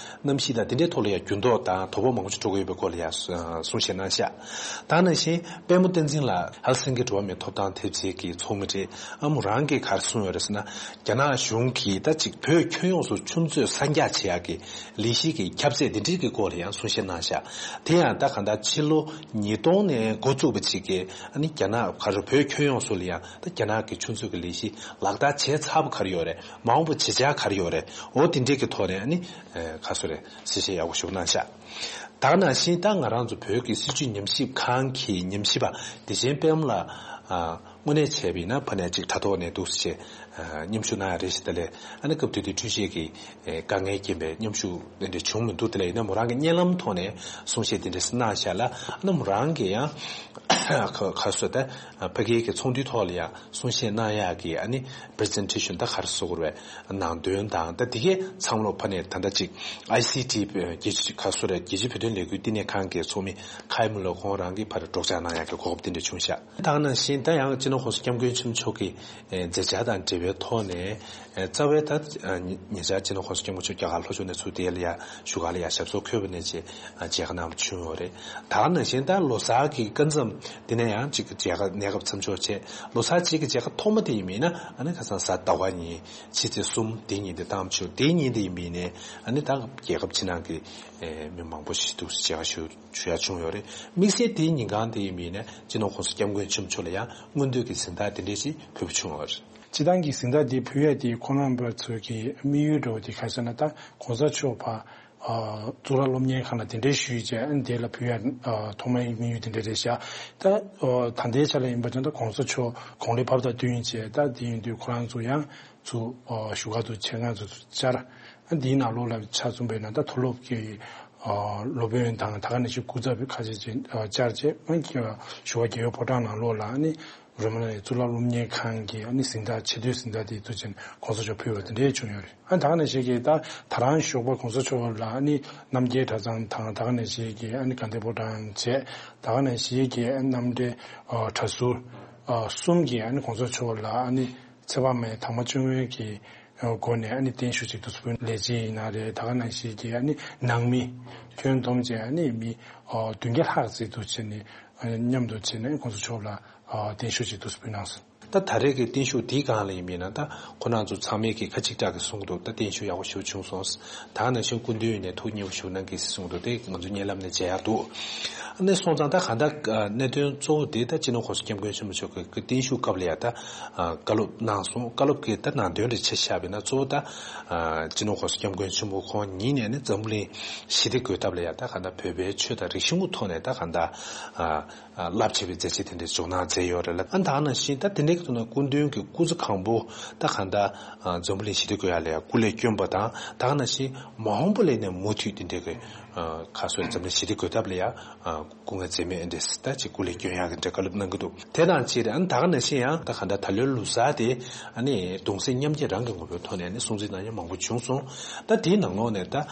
གནམ་གཤིས་དང་དེ་འདྲས་ཐོག་ལ་ཡང་འགྱུར་ལྡོག་དང་དོ་ཕོག་མང་པོ་ཞིག་འགྲོ་གི་ཡོད་པའི་སྐོར་ལ་ཡང་གསུང་བཤད་གནང་ཤག། ད་ག་ནང་བཞིན་དཔལ་མོ་བསྟན་འཛིན་ལགས་ཧེལ་སིང་ཀི་འགྲོ་བ་མིའི་ཐོབ་ཐང་ཐེབས་རྩའི་གི་ཚོགས་མི་རེད། ཨ་མོ་རང་གིས་ག་རེ་གསུངས་ཡོད་རེད་ཟེར་ན། རྒྱ་ནག་གཞུང་གིས་ད་ཅིག་བོད་ཁྱོན་ཡོངས་སུ་ཆུ་མཛོད་གསར་རྒྱག་བྱེད་ཡག་གི་ལས་གཞི་གི་ཁྱབ་ཚད་དེ་འདྲའི་གི་སྐོར་ལ་ཡང་གསུང་བཤད་གནང་ཤག། དེ་ཡང་ད་གང་ལྟར་ཕྱི་ལོ་ཉིས་སྟོང་ནས་འགོ་བཙུགས་པ་ཅིག་གིས་ཨ་ནི་རྒྱ་ནག་ག་རེ་བོད་ཁྱོན་ཡོངས་སུ་ལ་ཡང་ད་རྒྱ་ནག་གི་ཆུ་མཛོད་ཀྱི་ལས་གཞི་ལག་བསྟར་བྱས་ཚར་བ་ག་རེ་ཡོད་རེད། མ་འོངས་པ་བྱེད་འཆར་ག་རེ་ཡོད་རེད། འོ་དེ་འདྲའི་གི་ཐོག་ནས་ཨ་ནི་ཨེ་ག་རེ་ཟེར་རེད། གསལ་བཤད་ཡག་པོ་ཞིག་གནང་ཤག། ད་ག་ནང་བཞིན་ད་ང་རང་ཚོ་བོད་ཀྱི་སྲིད་བྱུས་ཉམས་ཞིབ་ཁང་གི་ཉམས་ཞིབ་པ་བདེ་ཆེན་དཔལ་མོ་ལགས་ཨ་དངོས་གནས་བྱས་པ་ཡིན་ན་ཕ་ནས་ཅིག་དྲ་ཐོག་ནས་འདུག་སེ་བྱས་ཨ་མཉམ་ཞུགས་གནང་ཡ་རེད་ཟེར། ད་ལས་ཨ་ནི་སྐབས་དེ་དུས་འཕྲུལ་ཆས་ཀྱི་ཨེ་དཀའ་ངལ་རྐྱེན་པས་མཉམ་ཞུགས་དེ་འདྲ་བྱུང་མི་འདུག། དེ་ལས་ཡིན་ན་མོ་རང་གི་བརྙན་ལམ་ཐོག་ནས་གསུང་བཤད་དེ་འདྲ་གནང་ཤག་ལ། ཨ་ནི་མོ་རང་གིས་ཡང་ག་ག་རེ་ཟེར། ད་ཕ་གིའི་གི་ཚོགས་འདུའི་ཐོག་ལ་ཡང་གསུང་བཤད་གནང་ཡག་གི་ཨ་ནི་པི་རི་ཛེན་ཊེ་ཤན་ད་ག་རེ་ཟེར་དགོས་རེད། ནང་དོན་དང་ད་དེ་གའི་ཚང་མ་ལོག་ཕ་ནས་ད་ལྟ་ཅིག་ཨའི་སི་ཊི་རྒྱལ་སྤྱི་ག་རེ་ཟེར་རེད། རྒྱལ་སྤྱིའི་བོད་དོན་ལས་འགུལ་བསྟི་གནས་ཁང་གི་ཚོགས་མི་ཁའི་མུ་ལེ་ཁོང་རང་གིས་ཕར་སྒྲོག་སྦྱང་གནང་ཡག་གི་གོ་སྐབས་དེ་འདྲ་བྱུང་ཤག། ད་ག་ནང་བཞིན་ད་ཡང་ སྤྱི་ནོར་༸གོང་ས་༸སྐྱབས་མགོན་ཆེན་པོ་མཆོག་གི་མཛད་འཆར་དང་འབྲེལ་བའི་ཐོག་ནས། རྩ་བའི་ད་ཉེ་ཆར་སྤྱི་ནོར་༸གོང་ས་༸སྐྱབས་མགོན་ཆེན་པོ་མཆོག་རྒྱ་གར་ལྷོ་ཕྱོགས་ནས་ཚུར་དེ་ལ་ཡ་བཞུགས་སྒར་ལ་ཡ་ཞབས་སོར་འཁོད་པ་ནས་བྱས་མཇལ་ཁ་གནང་བ་བྱུང་ཡོད་རེད། ད་ག་ནང་བཞིན་ད་ལོ་གསར་གྱི་སྐབས་མཚམས་དེ་ནས་ཡང་གཅིག་མཇལ་ཁ་གནས་སྐབས་མཚམས་འཇོག་བྱས། ལོ་གསར་གཅིག་གི་མཇལ་ཁ་ཐོག་མ་དེ་ཡིན་མིན་ན་ཨ་ནི་ཁ་སང་གཟའ་ཟླ་བ་ཉིན་ཕྱི་ཚེས་གསུམ་དེ་ཉིན་དེ་བཏང་བྱུང་། དེ་ཉིན་དེ་ཡིན་མིན་ནས་ཨ་ནི་ད་རྒྱལ་ཁབ་ཕྱི་ནང་གི་མི་མང་པོ་ཞིག་འདུག་མཇལ་ཁ་ཞུ་ཞུ་ཡ་བྱུང་ཡོད་རེད། དམིགས་བསལ་དེའི་ཉིན་གང་དེ་ཡིན་པའི་ནས་སྤྱི་ནོར་༸གོང་ས་༸སྐྱབས་མགོན་ཆེན་པོ་མཆོག་ལ་ཡང་སྔོན་དུས་ཀྱི་གཟེངས་རྟགས་དེ་འདྲས་ཤིག་ཕུལ་བ་བྱུང་བ་རེད། སྤྱི་བཏང་གི་གཟེངས་རྟགས་འདི་ཕུལ་ཡ་དེ་ཁོང་རྣམ་པ་ཚོ་གི་དམིགས་ཡུལ་འདྲ་བོ་དེ་ག་རེ་ཟེར་ན། ད་༸གོང་ས་མཆོག་ཕར་གཙུག་ལག་སློབ་གཉེར་ཁང་ལ་དེ་འདྲས་ཞུས་བྱས་ཨ་ནི་དེ་ལ་ཕུལ་ཡ་ཐོག་མའི་དམིགས་ཡུལ་དེ་འདྲས་རེད་ཤག་ད་ད་ལྟའི་ཆ་ལ་ཡིན་པ་ཅང་ད་༸གོང་ས་མཆོག་དགུང་ལོ་བབས་དང་བསྟུན་བྱས། ད་དེ་ཡིན་དུས་ཁོ་རང་ཚོ་ཡང་ཚུར་བཞུགས་སྒར་དུ་ཆེད་མངགས་ཚུར་བཅར། ཨ་འདིའི་ནང་ལོགས་ལ་ཆ་མཚོན་པ་ཡིན་ན་ད་མཐོ་སློབ་ཀྱི་སློབ་དཔོན་དང་ད་ག་ནང་བཞིན་སྐུ་ཚབ་ཁ་ཤས་ཅིག་བཅར་རྗེས་ཨ་བཞུགས་སྒར་རྒྱལ་ཡོད་ཕོ་བྲང་ནང་ལོགས་ལ་ཨ་ནི་རོ་མ་ན་ནི་གཙུག་ལག་སློབ་གཉེར་ཁང་གི་ཨ་ནི་གཟེངས་རྟགས་ཆེ་བསྟོད་གཟེངས་རྟགས་དེ་ཚུར་ཕྱིན་༸གོང་ས་མཆོག་ཕུལ་བ་དེ་འདྲས་བྱུང་ཡོད་རེད། ཨ་ད་ག་ནང་བཞིན་གྱི་ད་ད་རང་ཞོགས་པ་༸གོང་ས་མཆོག་ལ་ཨ་ནི་རྣམ་རྒྱལ་གྲྭ་ཚང་དང་ད་ག་ནང་བཞིན་གྱི་ཨ་ནི་དགའ་ལྡན་ཕོ་བྲང་བཅས་ད་ག་ནང་བཞིན་གྱི་རྣམ་འདྲེན་གྲྭ་ཟུར་གསུམ་གྱིས་ཨ་ནི་༸གོང་ས་མཆོག་ལ་ཨ་ནི་ཚེ་དཔག་མེད་དྭངས་མ་བཅོ་ལྔའི་གི་སྒོ་ནས་ཨ་ནི་བརྟན་བཞུགས་ཅིག་ཏུ་སྤུན་ལས་བྱེད་ཡིན་ན་རེད། ད་ག་ནང་བཞིན་གྱི་ཨ་ནི་ནང་མི་ཁྱོན་བསྡོམས་བྱས་ཨ་ནི་མི་བདུན་བརྒྱ་ལྷག་ཙམ་དུ་བྱས་ནས་མཉམ་དུ་བྱས་ནས་༸གོང་ས་མཆོག་ལ་བརྟན་བཞུགས་ཅིག་ཏུ་སྤུན་གནང་སོང་། ད་ད་རེས་ཀྱི་བརྟན་བཞུགས་འདིའི་སྒང་ལ་ཡིན་མིན་ན་ད་ཁོ་རང་ཚོ་ཚང་མས་ཀྱི་ཁ་གཅིག་གྲགས་ཀྱི་གསུང་གི་འདུག་ད་བརྟན་བཞུགས་ཡག་པོ་ཞེ་པོ་བྱུང་སོང་། ད་ག་ནང་བཞིན་སྐུ་མདུན་ནས་ཐུགས་མཉེས་པོ་ཞུ་གནང་གི་གསུང་གི་འདུག་དེ་ང་ཚོ་བརྙན་ལམ་ནས་མཇལ་ཡག་འདུག་ཨ་ནི་སོང་ཙང་ད་གང་ལྟར་གནད་དོན་གཙོ་བོ་དེ་ད་སྤྱི་ནོར་༸གོང་ས་༸སྐྱབས་མགོན་ཆེན་པོ་མཆོག་གི་བརྟན་བཞུགས་སྐབས་ལ་ཡ་ད་བཀའ་སློབ་གནང་སོང་། བཀའ་སློབ་ཀྱི་ད་ནང་དོན་རེ་ཆ་བཞག་པ་ཡིན་ན་གཙོ་བོ་ད་སྤྱི་ནོར་༸གོང་ས་༸སྐྱབས་མགོན་ཆེན་པོ་ཁོང་ཉིད་ནས་ནི་འཛམ་བུ་གླིང་ཞི་བདེ་དགོས་ཐབས་ལ་ཡ་ད་གང་ལྟར་བོད་པའི་ཆོས་དང་རིག་གཞུང་གི་ཐོག་ནས་ད་གང་ལྟར་རླབས་ཆེ་བའི་མཛད་རྗེས་དེ་འདྲའི་འཇོག་གནང་མཛད་ཡོད་རེད་ལ། ཨ་ད་ག་ནང་བཞིན་ད་དེ་འདྲའི་གི་ཐོག་ནས་སྐུ་མདུན་གྱི་སྐུ་ཚེ་གང་པོ་ད་གང་ལྟར་འཛམ་བུ་གླིང་ཞི་བདེ་དགོས་ཡ་ལ་ཡ་སྐུ་ལས་བསྐྱོན་པ་དང་། ད་ག་ནང་བཞིན་མ་འོངས་པ་ལ་ནས་མུ་མཐུད་དེ་འདྲའི་གི་ཁ་སོ་འཛམ་གླིང་ཞི་བདེ་དགོས་ཐབས་ལ་ཡ་སྐུ་ངལ་འཛེམས་མེད་འདྲ་ད་ཅིག་སྐུ་ལས་བསྐྱོན་ཡག་གི་འདྲ་བཀའ་སློབ་གནང་གི་འདུག་དེ་དང་གཅིག་རེད། ཨ་ནི་ད་ག་ནང་བཞིན་ཡང་ད་ག་འདྲ་ད་ལོའི་ལོ་གསར་དེ་ཨ་ནི་གདུང་སེམས་མཉམ་སྐྱེད་རང་གི་ངོ་བོའི་ཐོག་ནས་ཨ་ནི་སྲུང་བརྩི་གནང་མཁན་མང་པོ་བྱུང་སོང་། ད་དེའི་ནང་ལོགས་ནས་ད་བྱང་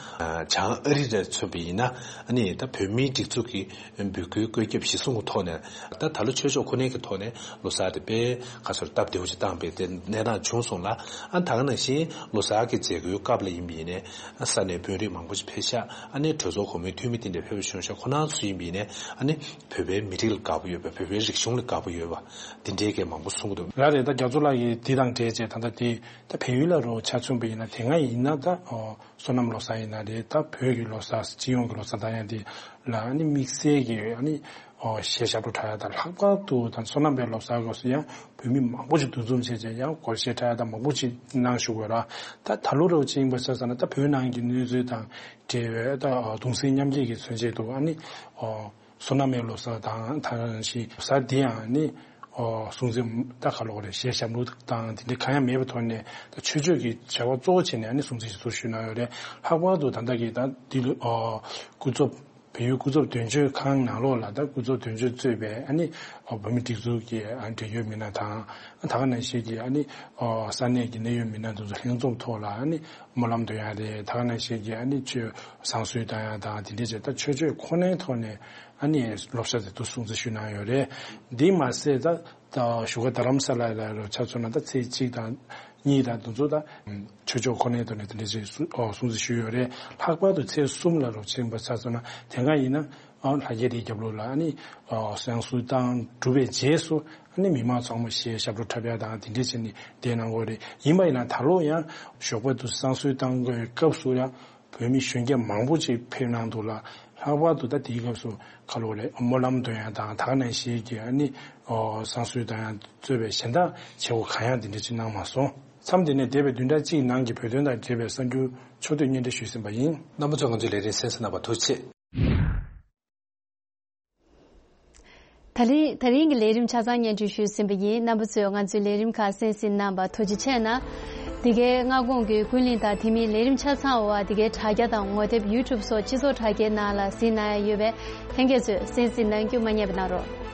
ཨ་རི་ལ་མཚོན་པ་ཡིན་ན་ཨ་ནི་ད་བོད་མིའི་སྒྲིག་འཛུགས་ཀྱི་འབོད་སྐུལ་བཀོད་ཁྱབ་གཞིར་བཟུང་གི་ཐོག་ནས་ད་ད་ལོ་ཆོས་ཕྱོགས་ཁོ་ནའི་གི་ཐོག་ནས་ལོ་གསར་དེ་དཔེ་ཁ་སོར་སྟབས་བདེ་བོ་ཞིག་བཏང་པའི་དེ་གནས་སྟངས་བྱུང་སོང་ལ། ཨ་ད་ག་ནང་བཞིན་ལོ་གསར་གྱི་མཛད་སྒོའི་སྐབས་ལ་ཡིན་པ་ཡིན་ནའི་ས་གནས་དཔོན་རིགས་མང་པོ་ཞིག་ཕེབས་ཤག་ཨ་ནི་གྲོས་ཚོགས་གོང་མའི་འཐུས་མི་དེ་འདྲ་ཕེབས་པ་བྱུང་ཤག་ཁོ་རང་ཚོ་ཡིན་པ་ཡིན་ནའི་ཨ་ནི་བོད་པའི་མི་རིགས་ལ་དགའ་པོ་ཡོད་པ། བོད་པའི་རིག་གཞུང་ལ་དགའ་པོ་ཡོད་པ་དེ་འདྲའི་གི་མང་པོ་གསུང་གི་འདུག་ལགས་རེད། ད་རྒྱ་མཚོ་ལགས་ཀྱིས་འདི་དང་འབྲེལ་བྱས་ད་ལྟ་དེ་ད་བལ་ཡུལ་ལ་རོ་ཆ་མཚོན་པ་ཡིན་ན་དེ་སྔ་ཡིན་ན་ད་ཨོ་སོ་ནམ་ལོ་གསར་ཡིན་ན་རེད། ད་བོད་ཀྱི་ལོ་གསར་སྤྱི་ཡོངས་ཀྱི་ལོ་གསར་ད་ཡང་དེ་ལ་ཨ་ནི་དམིགས་བསལ་གྱི་ཨ་ནི་ཨོ་གཞས་ཞབས་བྲོ་འཁྲབ་ཡ་དང་། ལྷག་པར་དུ་ད་སོ་ནམ་པའི་ལོ་གསར་སྐབས་སུ་ཡང་བོད་མི་མང་པོ་ཞིག་འདུ་འཛོམས་བྱས་བྱས་ཡང་སྒོར་གཞས་འཁྲབ་ཡ་དང་མང་པོ་ཞིག་གནང་བཞུགས་ཡོད་ར། ད་ད་ལོ་རོ་ཅིག་ཡིན་པ་ཆ་བཞག་ན་ད་བོད་ནང་གི་གནས་ཚུལ་དང་འབྲེལ་བའི་ད་གདུང་སེམས་མཉམ་སྐྱེད་ཀྱི་མཚོན་བྱེད་དུ་ཨ་ནི་ཨོ་སོ་ནམ་པའི་ལོ་གསར་དང་ད་ག་ནང་བཞིན་ལོ་གསར་འདི་ཡང་ནི་ཨོ་སྲུང་བརྩི་ད་ག་ལོག་རེད། གཞས་ཞབས་བྲོ་དང་དེ་འདྲ་གང་ཡང་མེད་པའི་ཐོག་ནས་ད་ཆོས་ཕྱོགས་ཀྱི་བྱ་བ་གཙོ་བོ་བྱས་ནས་ཨ་ནི་སྲུང་བརྩི་ཞུ་ཞུ་གནང་ཡོད་རེད། ལྷག་པར་དུ་ད་ལྟ་གི་ད་འདི་ལོ་ཨོ་སྐུ་ཚབ་བལ་ཡུལ་སྐུ་ཚབ་དོན་གཅོད་ཁང་ནང་ལོགས་ལ་ད་སྐུ་ཚབ་དོན་གཅོད་གཙོས་པའི་ཨ་ནི་ཨོ་བོད་མི་སྒྲིག་འཛུགས་ཀྱི་ཨ་འབྲེལ་ཡོད་མི་སྣ་དང་ད་ག་ནང་བཞིན་གྱི་ཨ་ནི་ཨོ་ས་གནས་ཀྱི་གནད་ཡོད་མི་སྣ་དེ་ཚོ་ལྷན་འཛོམས་ཐོག་ལ་ཨ་ནི་སྨོན་ལམ་འདོན་ཡ་རེད། ད་ག་ནང་བཞིན་གྱི་ཨ་ནི་ཆོས་བསང་གསོལ་གཏོང་ཡ་དང་དེ་འདྲས་བྱས་ད་ཆོས་ཕྱོགས་ཁོ་ནའི་ཐོག་ནས་ཨ་ནི་ལོ་གསར་དེ་ཚོ་སྲུང་བརྩི་ཞུ་གནང་ཡོད་རེད། འདི་མ་ཟད་ད་ད་བཞུགས་སྒར་རྡ་རམ་ས་ལ་ལ་རུ་ཆ་མཚོན་ན་ད་ཚེས་གཅིག་དང་གཉིས་དང་དེ་ཚོ་ད་ཆོས་ཕྱོགས་ཁོ་ནའི་ཐོག་ནས་དེ་འདྲས་བྱས་སྲུང་ཨོ་སྲུང་བརྩི་ཞུས་ཡོད་རེད། ལྷག་པར་དུ་ཚེས་གསུམ་ལ་རུ་ཕྱིན་པ་ཆ་མཚོན་ན་དེ་སྔ་ཡིན་ན་ཨ་ལྷ་རྒྱལ་རིའི་རྒྱབ་ལོགས་ལ་ཨ་ནི་ཨོ་བསང་གསོལ་བཏང་གྲུབ་པའི་རྗེས་སུ་ཨ་ནི་མི་མང་ཚང་མ་གཞས་ཞབས་བྲོ་འཁྲབ་ཡ་དང་དེ་འདྲས་བྱས་ནས་བསྡད་གནང་གི་ཡོད་རེད། ཡིན་པ་ཡིན་ན་ད་ལོ་ཡང་ཞོགས་པ་དུ་བསང་གསོལ་བཏང་དགོས་སྐབས་སུ་ཡང་བོད་མི་གཞོན་སྐྱེས་མང་པོ་ཅིག་ཕེབས་གནང་འདུག་ལ། ལྷག་པར་དུ་ད་དེའི་སྐབས་སུ་ཁ་ལོ་རེད། སྨོན་ལམ་འདོན་ཡ་དང་ད་ག་ནང་བཞིན་གྱི་ཨ་ནི་ཨོ་བསང་གསོལ་དང་ཡང་གཙོས་པའི་གཞན་དག་བྱེད་སྒོ་གང་ཡང་དེ་འདྲ་ཅིག་གནང་མ་སོང་། མཚམས་འདི་ནས་འདས་པའི་བདུན་ཕྲག་གཅིག་ནང་གི་བོད་དོན་དང་འབྲེལ་བའི་གསར་འགྱུར་ཕྱོགས་བསྡུས་སྙན་སྒྲོན་ཞུས་ཟིན་པ་ཡིན། རྣམ་པ་ཚོས་ང་ཚོའི་ལས་རིམ་གསན་གཟིགས་གནང་བར་ཐུགས་རྗེ་ཆེ། ད་རིང་ད་རིང་གི་ལས་རིམ་ཆ་ཚང་སྙན་སྒྲོན་ཞུས་ཟིན་པ་ཡིན། རྣམ་པ་ཚོས་ང་ཚོའི་ལས་རིམ་ཁག་གསན་གཟིགས་གནང་བར་ཐུགས་རྗེ་ཆེ་གནང་། འདི་གའི་སྔ་དགོང་གི་ཀུན་གླེང་དང་དེ་མིན་ལས་རིམ་ཆ་ཚང་འོག་འདི་གའི་དྲ་རྒྱ་དང་ངོ་དེབ་ཡུ་ཊུབ་སོགས་སྤྱི་ཚོགས་དྲ་རྒྱའི་ནང་ལ་གཟིགས་གནང་ཡ་ཡོད་པས་ལྷན་རྒྱས་ཚོས་གསན་གཟིགས་གནང་རྒྱུ་མ་བསྙེལ་བ་གནང་རོགས།